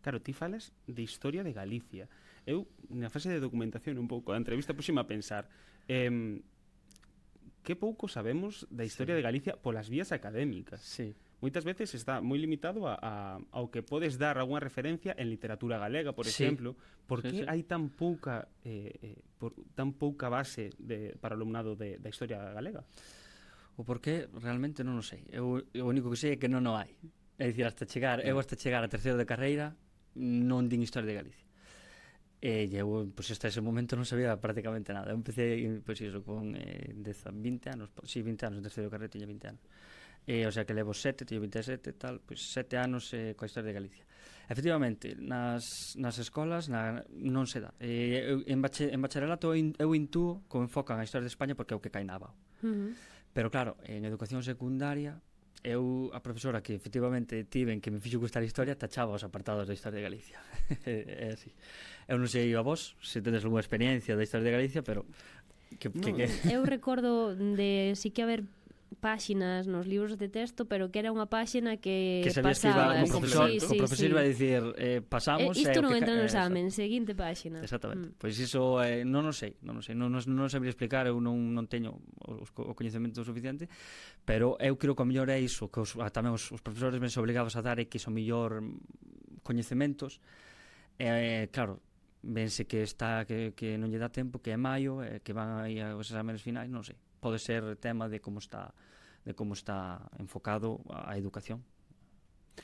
Claro, ti falas de historia de Galicia. Eu, na fase de documentación un pouco, a entrevista puxime a pensar eh, que pouco sabemos da historia Sí. de Galicia polas vías académicas. Sí. Moitas veces está moi limitado a, a, ao que podes dar algunha referencia en literatura galega, por Sí. exemplo. Por Sí, que sí. hai tan pouca eh, eh, por, tan pouca base de, para o alumnado de, da historia galega? O porqué realmente non o sei. Eu, o único que sei é que non o hai. É dicir, hasta chegar, eu hasta chegar a terceiro de carreira non din historia de Galicia. E eu, pois, hasta ese momento non sabía prácticamente nada. Eu empecé, pois, iso, con eh, dez, vinte anos, si, sí, vinte anos, en terceiro de carreira tiña vinte anos. E, o sea, que levo sete, teño vinte e sete, tal, pois sete anos eh, coa historia de Galicia. Efectivamente, nas, nas escolas na, non se dá. E, eu, en, bache, en bacharelato eu, eu intúo como enfocan a historia de España porque é o que cainaba. Uh-huh. Pero claro, en educación secundaria eu, a profesora que efectivamente tiven que me fixo gustar a historia, tachaba os apartados da historia de Galicia. É así. Eu non sei a vos se tedes algunha experiencia da historia de Galicia, pero que, que, No, que... eu recordo de sí que haber páxinas nos libros de texto, pero que era unha páxina que, que sabías que iba pasabas. o profesor, sí, o sí, profesor sí. iba a dicir eh, pasamos eh, isto e o non que entra no ca- examen, seguinte páxina. Exactamente. Mm. Pois iso eh, non o sei, non o sei, non, non, non sabría explicar, eu non, non teño os, o coñecemento suficiente, pero eu creo que o mellor é iso, que os, ah, tamén os, os profesores ven obligados a dar é que son mellor mm, coñecementos. Eh, claro, vense que está que, que non lle dá tempo, que é maio, eh, que van aí aos exámenes finais, non sei. Pode ser tema de como está de como está enfocado a, a educación.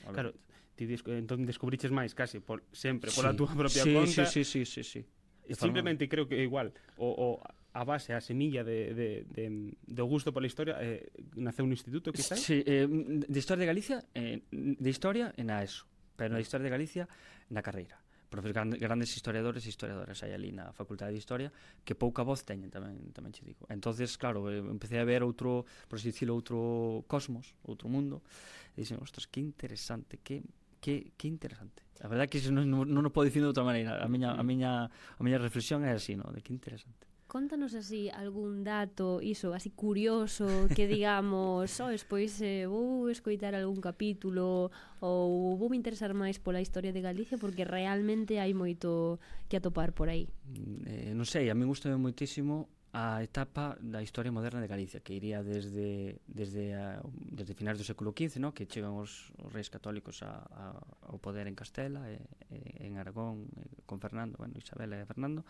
Claro, ti des, entón descubriches máis casi por, sempre pola Sí. túa propia sí, conta. Sí, sí, sí, sí, sí. De Simplemente creo que igual o, o a base, a semilla de, de, de, do gusto pola historia eh, naceu no instituto, quizás? Sí, eh, de Historia de Galicia, eh, de Historia en a ESO, pero de Historia de Galicia na carreira. Profes grandes, grandes historiadores e historiadoras hai ali na Facultade de Historia que pouca voz teñen, tamén tamén che digo. Entonces, claro, eh, empecé a ver outro, por así dicilo, outro cosmos, outro mundo, e dixen, ostras, que interesante, que que que interesante. A verdade é que iso non, non, non o podo dicir de outra maneira. A miña a miña a miña reflexión é así, no, de que interesante. Contanos así algún dato, iso, así curioso, que digamos, oh, despois eh, vou escoitar algún capítulo ou vou me interesar máis pola historia de Galicia porque realmente hai moito que atopar por aí. Eh, non sei, a mí gustame moitísimo a etapa da historia moderna de Galicia, que iría desde desde a, desde finais do século quince, no? Que chegan os, os reis católicos a, a, ao poder en Castela, e, e, en Aragón, e, con Fernando, bueno, Isabel e Fernando,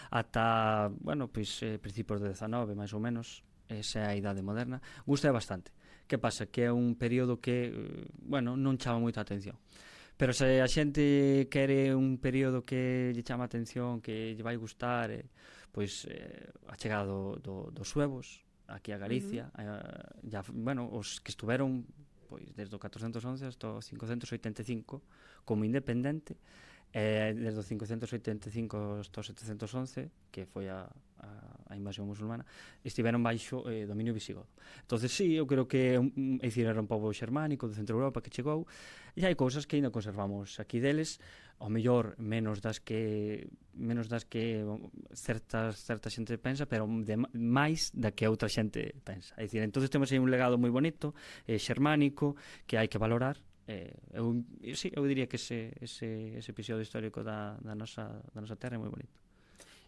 ata, bueno, pois, eh, principios do dezanove, máis ou menos, esa é a idade moderna. Gusta bastante. Que pasa? Que é un período que, eh, bueno, non chama moita atención. Pero se a xente quere un período que lle chama a atención, que lle vai gustar, eh, pois eh, a chegada do, do, dos suevos aquí a Galicia, uh -huh. eh, ya, bueno, os que estuveron pois desde o catorcentos once hasta o cincocentos oitenta e cinco como independente, eh, desde o cincocentos oitenta e cinco hasta o setecentos once, que foi a, a a invasión musulmana, estiveron baixo eh, dominio visigodo. Entonces, sí, eu creo que é dicir, era un pobo xermánico de Centro Europa que chegou, e hai cousas que ainda conservamos aquí deles, ao mellor menos das que menos das que certas, certa xente pensa, pero de, máis da que outra xente pensa. É dicir, entonces temos aí un legado moi bonito, eh, xermánico, que hai que valorar. Eh, eu, sí, eu diría que ese, ese, ese episodio histórico da, da, nosa, da nosa terra é moi bonito.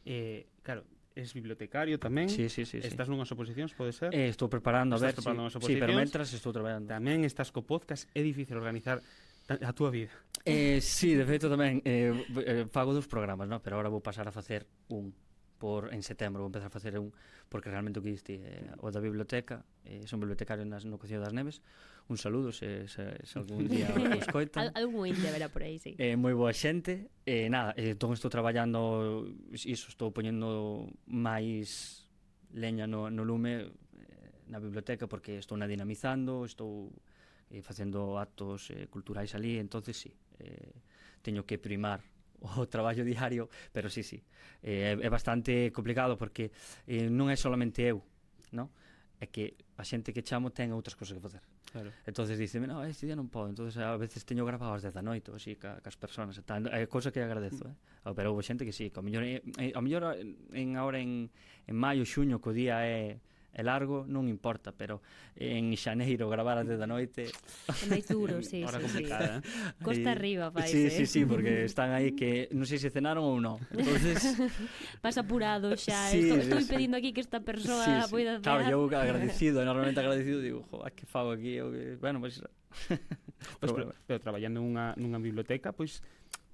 Eh, claro, es bibliotecario tamén. Sí, sí, sí, estás sí. nunhas oposicións, pode ser? Eh, estou preparando, a ver, preparando sí, sí, pero mentras estou traballando. Tamén estás co podcast, é difícil organizar a túa vida. Eh, sí, de feito tamén eh, eh, fago dos programas, no? Pero agora vou pasar a facer un por en setembro, vou empezar a facer un porque realmente o que diste eh, o da biblioteca, eh, son bibliotecario nas, no Concello das Neves. Un saludo se, se, se algún día o escoitan. Al, algún índia verá por aí, sí. Eh, moi boa xente. Eh, nada, eh, entón estou traballando iso, estou poñendo máis leña no, no lume eh, na biblioteca porque estou na dinamizando, estou eh, facendo actos eh, culturais ali, entonces sí, eh, teño que primar o traballo diario, pero sí, sí, eh, é bastante complicado porque eh, non é solamente eu, no? É que a xente que chamo ten outras cousas que facer. Claro. Entonces dice, no, este día non podo, entonces a veces teño grabado ás dez da noite, así, ca, cas personas, e tal. É cousa que agradezo, eh? Pero houve xente que sí, que ao mellor, eh, ao mellor en, agora en, en maio, xuño, que o día é é largo, non importa, pero en xaneiro gravar ás dez da noite é máis duro, sí, Hora sí, complicada, sí. eh? Costa arriba, fai, sí, eh? sí, sí, porque están aí que non sei se cenaron ou non. Entonces vas apurado xa, sí, estou, sí, estou sí. pedindo aquí que esta persoa sí, sí. poida Claro, cenar. eu agradecido, enormemente agradecido, digo, jo, que fago aquí, eu que, bueno, pois pues, Pois, pero, pero traballando nunha, nunha biblioteca, pois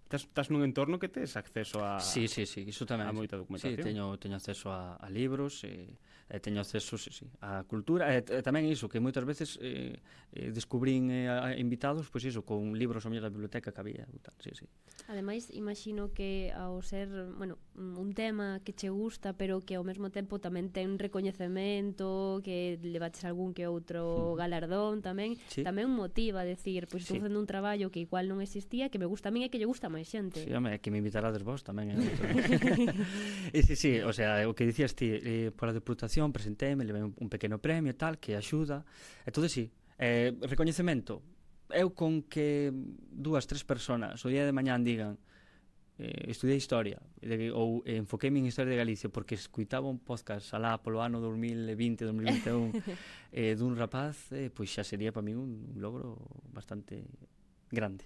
estás, estás nun entorno que tes acceso a sí, sí, sí, iso tamén. A moita documentación. Sí, teño, teño acceso a, a libros, e, e teño acceso sí, sí, a cultura, e, e tamén iso, que moitas veces eh, eh, descubrín eh, a invitados, pois iso, con libros ao mellor da biblioteca que había, tal, sí, sí. Ademais, imagino que ao ser, bueno, un tema que che gusta, pero que ao mesmo tempo tamén ten recoñecemento, que levaches algún que outro galardón tamén, sí. Tamén motiva a decir, pois estou Sí. facendo un traballo que igual non existía, que me gusta a min e que lle gusta a máis xente. Sí, home, que me invitarades vos tamén. Eh, e sí, sí, o sea, o que dicías ti, eh, pola deputación presentéme, levei un, un pequeno premio e tal, que axuda. Entón, sí, eh, recoñecemento. Eu con que dúas, tres personas o día de mañán digan eh, estudiei Historia de, ou eh, enfoqueime en Historia de Galicia porque escuitaba un podcast alá polo ano dos mil vinte, dos mil vinte e un eh, dun rapaz, eh, pois xa sería para mí un, un logro bastante grande.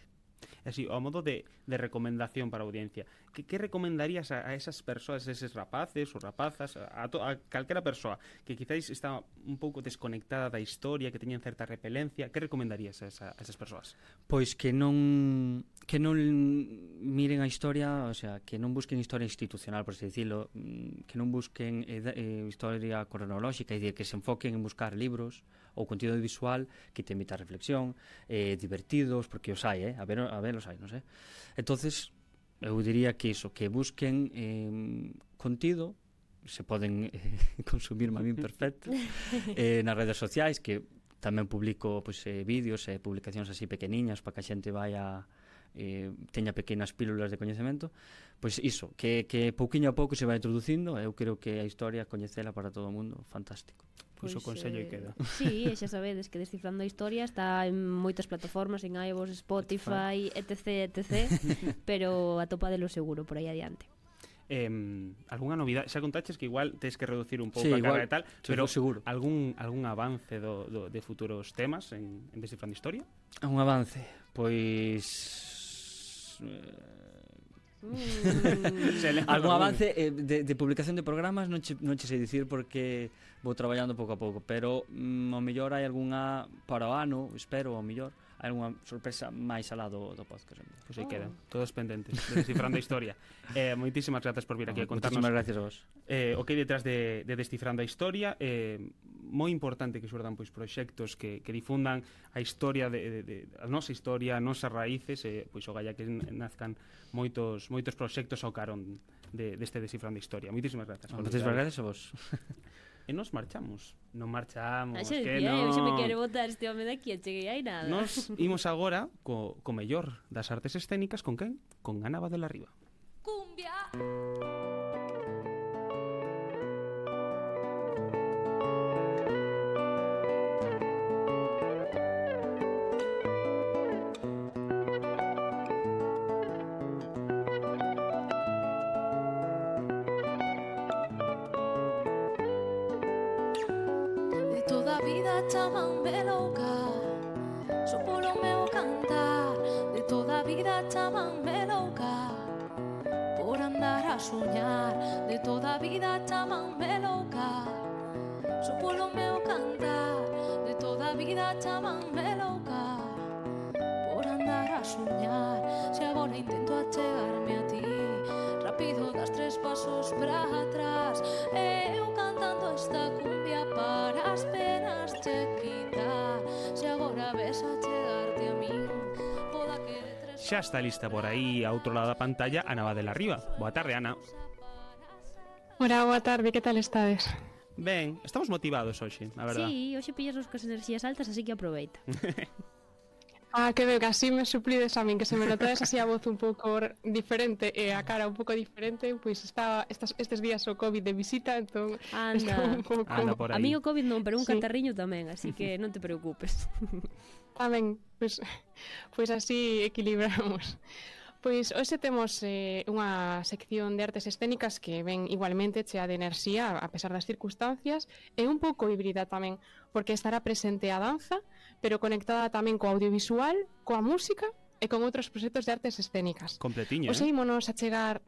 Así, ao modo de, de recomendación para a audiencia, que, que recomendarías a, a esas persoas, eses rapaces ou rapazas, a, a, to, a calquera persoa que quizáis está un pouco desconectada da historia, que teñen certa repelencia, que recomendarías a, esa, a esas persoas? Pois que non que non miren a historia, o sea, que non busquen historia institucional, por así dicilo, que non busquen eh, eh, historia cronolóxica, é dicir, que se enfoquen en buscar libros ou contido visual que te invita a reflexión, eh, divertidos, porque os hai, eh? a ver, a ver os hai, non sei. Entonces, eu diría que iso, que busquen eh, contido, se poden eh, consumir a min perfecto, eh, nas redes sociais, que tamén publico pois, eh, vídeos e eh, publicacións así pequeniñas para que a xente vaya eh, teña pequenas pílulas de coñecemento, pois iso, que, que pouquiño a pouco se vai introducindo, eu creo que a historia coñecela para todo o mundo, fantástico. Pois o consello e queda. Sí, e xa sabedes que Descifrando a Historia está en moitas plataformas, en iVoox, Spotify, etc, etc, pero atopadelo seguro por aí adiante. Eh, algunha novidade, xa contaches que igual tens que reducir un pouco sí, a carga igual, e tal, sí, pero seguro. algún algún avance do, do, de futuros temas en, en Descifrando Historia? Un avance, pois Mm. algún avance eh, de, de publicación de programas non che, non che sei dicir porque vou traballando pouco a pouco, pero mm, ao mellor hai algunha para o ano, espero, ao mellor hai algunha sorpresa máis alá do, do podcast. Pois aí quedan, todos pendentes de Descifrando a Historia. Eh, moitísimas grazas por vir aquí a contarnos. Moitísimas gracias a vos. Eh, o que hai detrás de, de Descifrando a Historia, eh, moi importante que xurdan pois proxectos que, que difundan a historia de, de, de a nosa historia, as nosas raíces, eh, pois o galla que nazcan moitos moitos proxectos ao carón de, deste Descifrando a Historia. Moitísimas grazas. Moitísimas gracias a vos. E nos marchamos. Non marchamos, Ah, xa que decía, non. eu xa me quere botar este home daqui, e cheguei aí nada. Nos imos agora co, co mellor das artes escénicas, con quen? Con Ana Badela Riba. Cumbia. vida chamanme louca. Só polo meu cantar, de toda a vida chamanme louca. Por andar a soñar, de toda a vida chamanme louca. Só polo meu cantar, de toda a vida chamanme louca. Por andar a soñar, se agora intento achegarme a ti, rápido das tres pasos para atrás. Eu cantando esta cumbia para as penas che quitar. Se agora ves a chegarte a min, poda que de tres... Xa está lista por aí ao outro lado da pantalla Ana Badela Riba. Boa tarde, Ana. Hola, boa tarde, que tal estades? Ben, estamos motivados hoxe, a verdad. Sí, hoxe pillas os cas enerxías altas, así que aproveita. Ah, que veo que así me suplides a min, que se me notades así a voz un pouco diferente e a cara un pouco diferente, pois está estas, estes días o COVID de visita, entón Anda, un pouco... Anda por aí. a mí o COVID non, pero un Sí. catarriño tamén, así que non te preocupes. Tamén, pois, pois así equilibramos. Pois hoxe temos eh, unha sección de artes escénicas que ven igualmente chea de enerxía a pesar das circunstancias e un pouco híbrida tamén, porque estará presente a danza, pero conectada tamén co audiovisual, coa música e con outros proxectos de artes escénicas. Completiña, Hoxe eh? ímonos a chegar...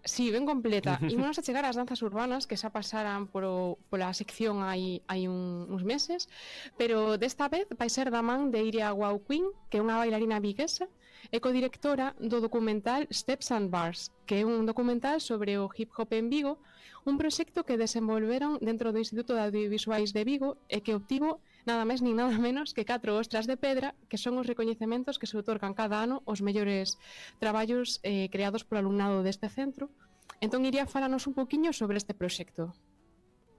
Sí, ben completa. Ímonos a chegar ás danzas urbanas que xa pasaran por, pola sección hai, hai un, uns meses, pero desta vez vai ser da man de Iria Wow Queen, que é unha bailarina viguesa e codirectora do documental Steps and Bars, que é un documental sobre o hip hop en Vigo, un proxecto que desenvolveron dentro do Instituto de Audiovisuais de Vigo e que obtivo nada máis nin nada menos que catro ostras de pedra, que son os recoñecementos que se outorgan cada ano os mellores traballos eh, creados polo alumnado deste centro. Entón iría falanos un poquiño sobre este proxecto.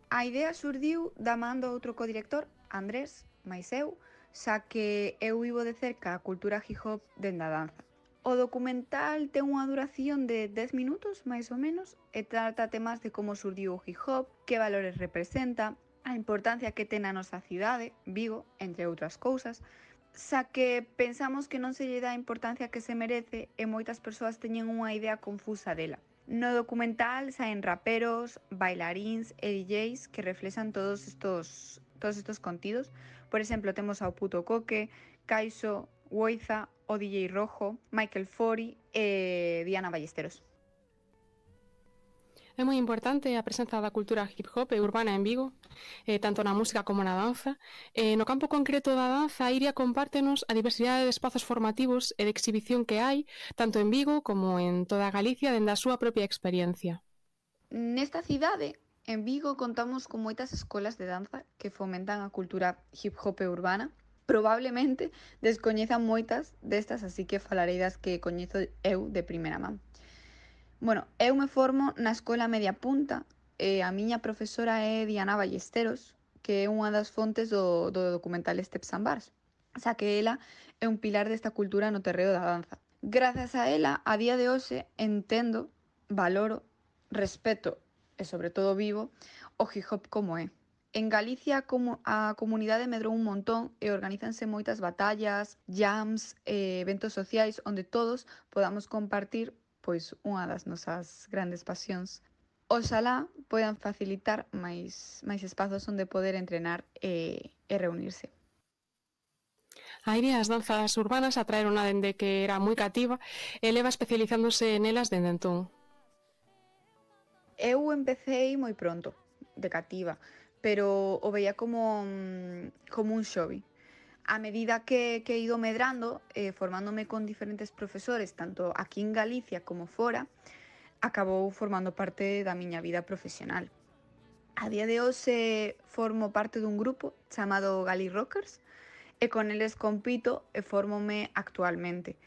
A idea surdiu da man do outro codirector, Andrés, máis eu, xa que eu vivo de cerca a cultura hip hop dende a danza. O documental ten unha duración de dez minutos, máis ou menos, e trata temas de como surdiu o hip hop, que valores representa, a importancia que ten a nosa cidade, Vigo, entre outras cousas, xa que pensamos que non se lle dá a importancia que se merece e moitas persoas teñen unha idea confusa dela. No documental saen raperos, bailaríns e D Js que reflexan todos estos, todos estos contidos. Por exemplo, temos ao Puto Coque, Caixo, Woiza, o D J Rojo, Michael Fori e Diana Ballesteros. É moi importante a presenza da cultura hip hop e urbana en Vigo, eh, tanto na música como na danza. Eh, no campo concreto da danza, Iria compártenos a diversidade de espazos formativos e de exhibición que hai, tanto en Vigo como en toda Galicia, dende a súa propia experiencia. Nesta cidade, en Vigo, contamos con moitas escolas de danza que fomentan a cultura hip hop e urbana. Probablemente descoñezan moitas destas, así que falarei das que coñezo eu de primeira man. Bueno, eu me formo na Escola Media Punta e a miña profesora é Diana Ballesteros, que é unha das fontes do, do documental Steps and Bars, xa que ela é un pilar desta cultura no terreo da danza. Grazas a ela, a día de hoxe, entendo, valoro, respeto e sobre todo vivo o hip hop como é. En Galicia a comunidade medrou un montón e organízanse moitas batallas, jams e eventos sociais onde todos podamos compartir pois unha das nosas grandes pasións. Oxalá poidan facilitar máis, máis espazos onde poder entrenar e, e reunirse. A Iria as danzas urbanas atraerona dende que era moi cativa e leva especializándose nelas dende entón. Eu empecei moi pronto, de cativa, pero o veía como, como un hobby. A medida que, que he ido medrando, eh, formándome con diferentes profesores, tanto aquí en Galicia como fora, acabou formando parte da miña vida profesional. A día de hoxe formo parte dun grupo chamado Gali Rockers e con eles compito e formome actualmente.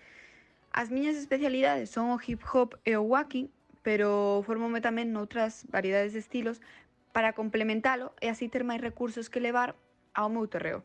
As miñas especialidades son o hip hop e o walking, pero formome tamén noutras variedades de estilos para complementalo e así ter máis recursos que levar ao meu terreo.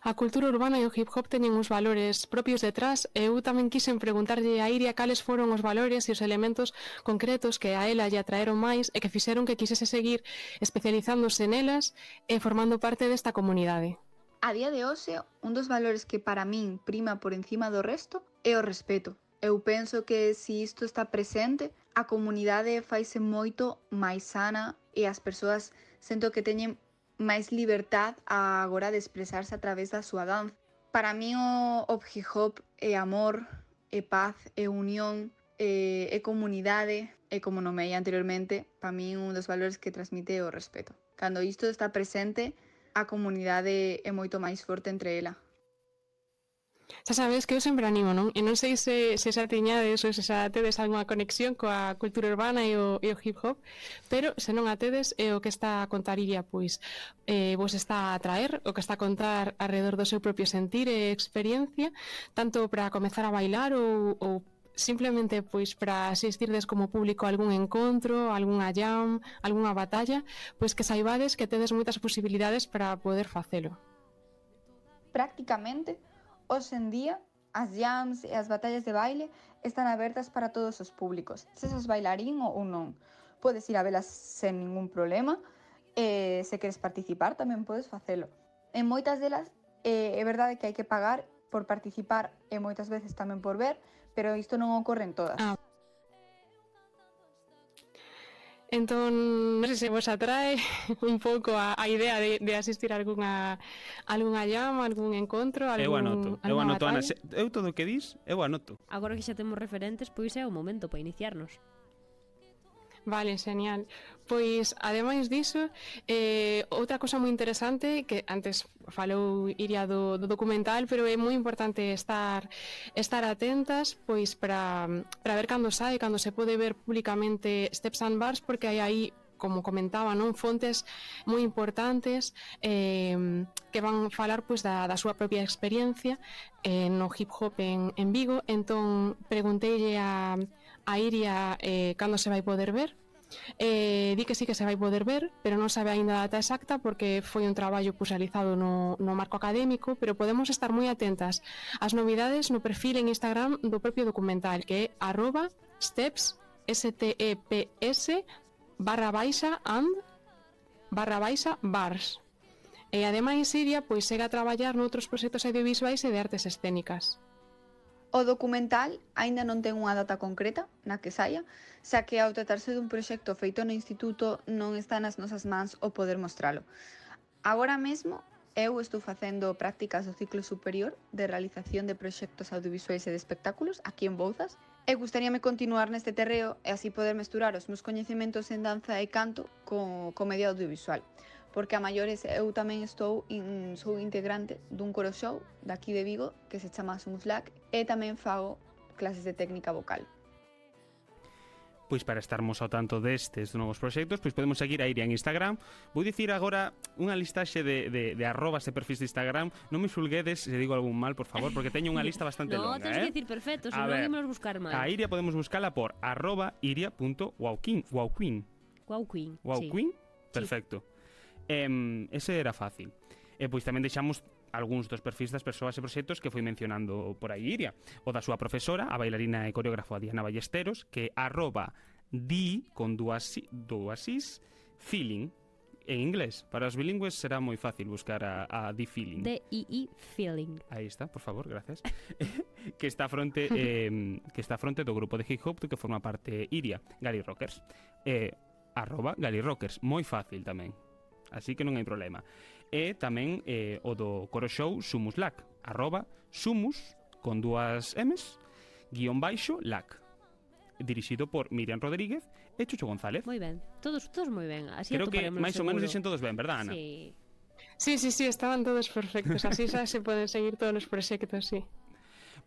A cultura urbana e o hip hop teñen uns valores propios detrás e eu tamén quixen preguntarlle a Iria cales foron os valores e os elementos concretos que a ela lle atraeron máis e que fixeron que quisese seguir especializándose nelas e formando parte desta comunidade. A día de hoxe, un dos valores que para min prima por encima do resto é o respeto. Eu penso que se isto está presente, a comunidade faise moito máis sana e as persoas sento que teñen máis liberdad a agora de expresarse a través da súa danza. Para mí o, o hip hop é amor, é paz, é unión, é, é comunidade, e como nomei anteriormente, para mí un dos valores que transmite o respeto. Cando isto está presente, a comunidade é moito máis forte entre ela. Xa sabes que eu sempre animo, non? E non sei se, se xa tiñades ou se xa tedes algunha conexión coa cultura urbana e o, e o hip hop, pero se non a tedes, é o que está a contar Iria, pois eh, vos está a traer, o que está a contar alrededor do seu propio sentir e experiencia, tanto para comezar a bailar ou, ou simplemente pois para asistirdes como público a algún encontro, algunha jam, algunha batalla, pois que saibades que tedes moitas posibilidades para poder facelo. Prácticamente, hoxe en día, as jams e as batallas de baile están abertas para todos os públicos, se sos bailarín ou non. Podes ir a velas sen ningún problema, e se queres participar tamén podes facelo. En moitas delas é verdade que hai que pagar por participar e moitas veces tamén por ver, pero isto non ocorre en todas. Ah. Entón, non sei se vos atrae un pouco a, a idea de, de asistir a algunha, algunha llama, algún encontro, algún, eu anoto, eu anoto, Ana, batalla. se, eu todo o que dis, eu anoto. Agora que xa temos referentes, pois é o momento para iniciarnos. Vale, genial. Pois, ademais diso, eh, outra cosa moi interesante, que antes falou Iria do, do documental, pero é moi importante estar estar atentas, pois, para, para ver cando sai, cando se pode ver públicamente Steps and Bars, porque hai aí, como comentaba, non, fontes moi importantes eh, que van falar pois da, da súa propia experiencia eh, no hip hop en, en Vigo. Entón pregunteille a, a Iria eh, cando se vai poder ver. Eh, di que sí que se vai poder ver, pero non sabe aínda a data exacta porque foi un traballo pues, realizado no, no marco académico, pero podemos estar moi atentas ás novidades no perfil en Instagram do propio documental, que é arroba steps, S T E P S, barra baixa and barra baixa bars. E ademais Iria pois segue a traballar noutros proxectos audiovisuais e de artes escénicas. O documental aínda non ten unha data concreta na que saia, xa que ao tratarse dun proxecto feito no instituto non está nas nosas mans o poder mostralo. Agora mesmo eu estou facendo prácticas do ciclo superior de realización de proxectos audiovisuais e de espectáculos aquí en Bouzas e gustaríame continuar neste terreo e así poder mesturar os meus coñecementos en danza e canto co, co medio audiovisual. Porque a maiores eu tamén estou in, sou integrante dun coro show daqui de Vigo que se chama Sumuslac e tamén fago clases de técnica vocal. Pois para estarmos ao tanto destes novos proxectos, pois podemos seguir a Iria en Instagram. Vou dicir agora unha listaxe de, de, de arrobas e perfis de Instagram. Non me xulguedes se digo algún mal, por favor, porque teño unha lista bastante no, longa. No, tens eh? que dicir perfecto, se non imos buscar mal. A Iria podemos buscala por arroba iria punto wowqueen. Wowqueen. Wowqueen, Wowqueen? sí. Perfecto. Eh, ese era fácil. E pois tamén deixamos algúns dos perfis das persoas e proxectos que foi mencionando por aí Iria. O da súa profesora, a bailarina e coreógrafa Diana Ballesteros, que arroba di con dúas, dúas is feeling en inglés. Para os bilingües será moi fácil buscar a, a di feeling. D I I feeling. Aí está, por favor, gracias. que está a fronte eh, que está a fronte do grupo de hip hop do que forma parte Iria, Gali Rockers. Eh, arroba Gali Rockers, moi fácil tamén. Así que non hai problema. E tamén eh, o do coro show Sumuslac, arroba sumus con dúas M's guión baixo lac, dirixido por Miriam Rodríguez e Chucho González. Moi ben, todos, todos moi ben. Así creo que máis ou menos seguro. dixen todos ben, verdad, Ana? Sí. Sí, sí, sí, estaban todos perfectos. Así xa se poden seguir todos os proxectos, sí.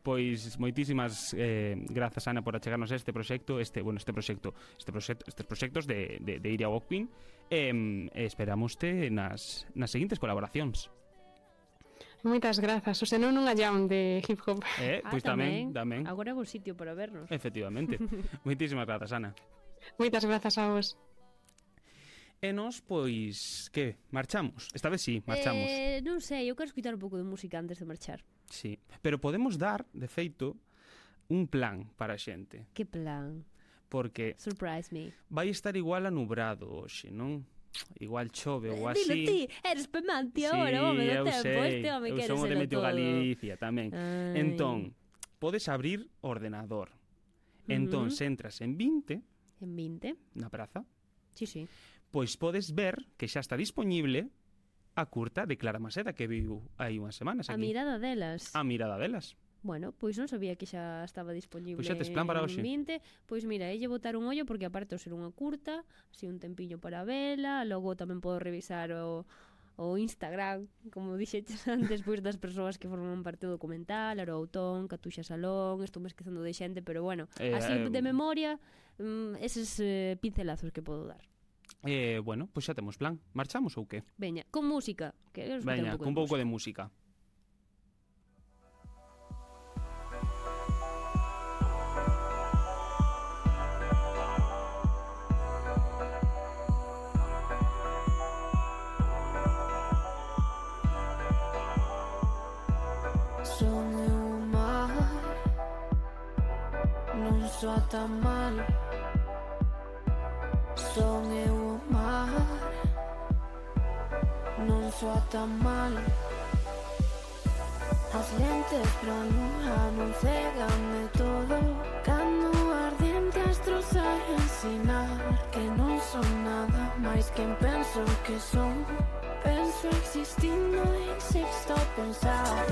Pois moitísimas eh, grazas, Ana, por achegarnos a este proxecto, este, bueno, este proxecto, este proxecto, estes proxectos de, de, de Iria Wowqueen. E eh, esperamoste nas, nas seguintes colaboracións. Moitas grazas, o senón nunha jam de hip hop. Eh, pois ah, tamén, tamén. Agora é bo sitio para vernos. Efectivamente. Moitísimas grazas, Ana. Moitas grazas a vos. E nos, pois, que? Marchamos? Esta vez sí, marchamos. Eh, non sei, eu quero escutar un pouco de música antes de marchar. Sí, pero podemos dar, de feito, un plan para a xente. Que plan? Porque Surprise me. vai estar igual anubrado hoxe, non? Igual chove ou Eh, así. dilo ti, eres pemante agora, sí, home, do eu tempo, sei, este home eu quere son o selo de Meteo todo. Galicia tamén. Ai. Entón, podes abrir ordenador. Entón, Uh-huh. se entras en vinte, En vinte? na praza, Sí, sí. pois podes ver que xa está disponible a curta de Clara Maseda que viu hai unhas semanas A aquí. mirada delas. A mirada delas. Bueno, pois non sabía que xa estaba disponible Pois xa tes plan para hoxe. en vinte. Pois mira, elle botar un ollo porque aparte de ser unha curta, así un tempiño para vela, logo tamén podo revisar o, o Instagram, como dixeches antes, pois das persoas que forman parte do documental, Aro Autón, Catuxa Salón, estou me esquecendo de xente, pero bueno, Eh, así eh, de memoria, mm, eses eh, pincelazos que podo dar. Eh, bueno, pois xa temos plan. Marchamos ou que? Veña, con música, que quero escoitar Veña, un pouco cun de pouco música. de música. Son eu o mar, non soa tan mal. Son eu o mar, non soa tan mal. As lentes pra luna non cegan de todo. Cando ardiente astro sai a ensinar que non son nada máis que penso que son. Penso existindo en sexto pensar.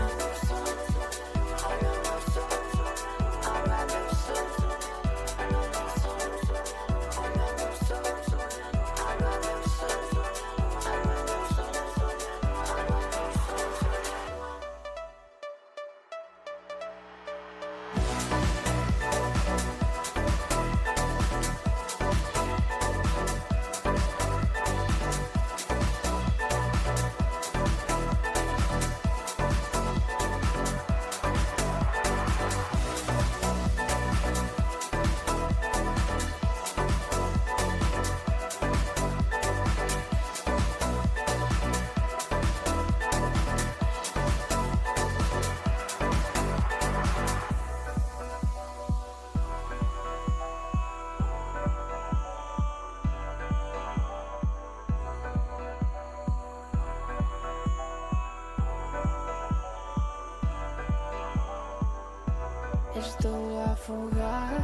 Estou a afogar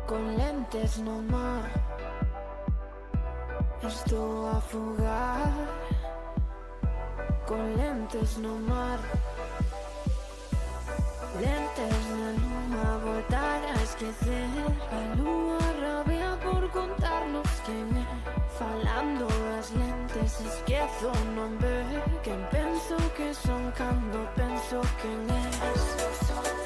con lentes no mar. Estou a afogar con lentes no mar. Lentes na luna, voltar a esquecer. A lúa rabia por contarnos quen é. Falando das lentes, esquezo non ver quen penso que son cando penso quen és.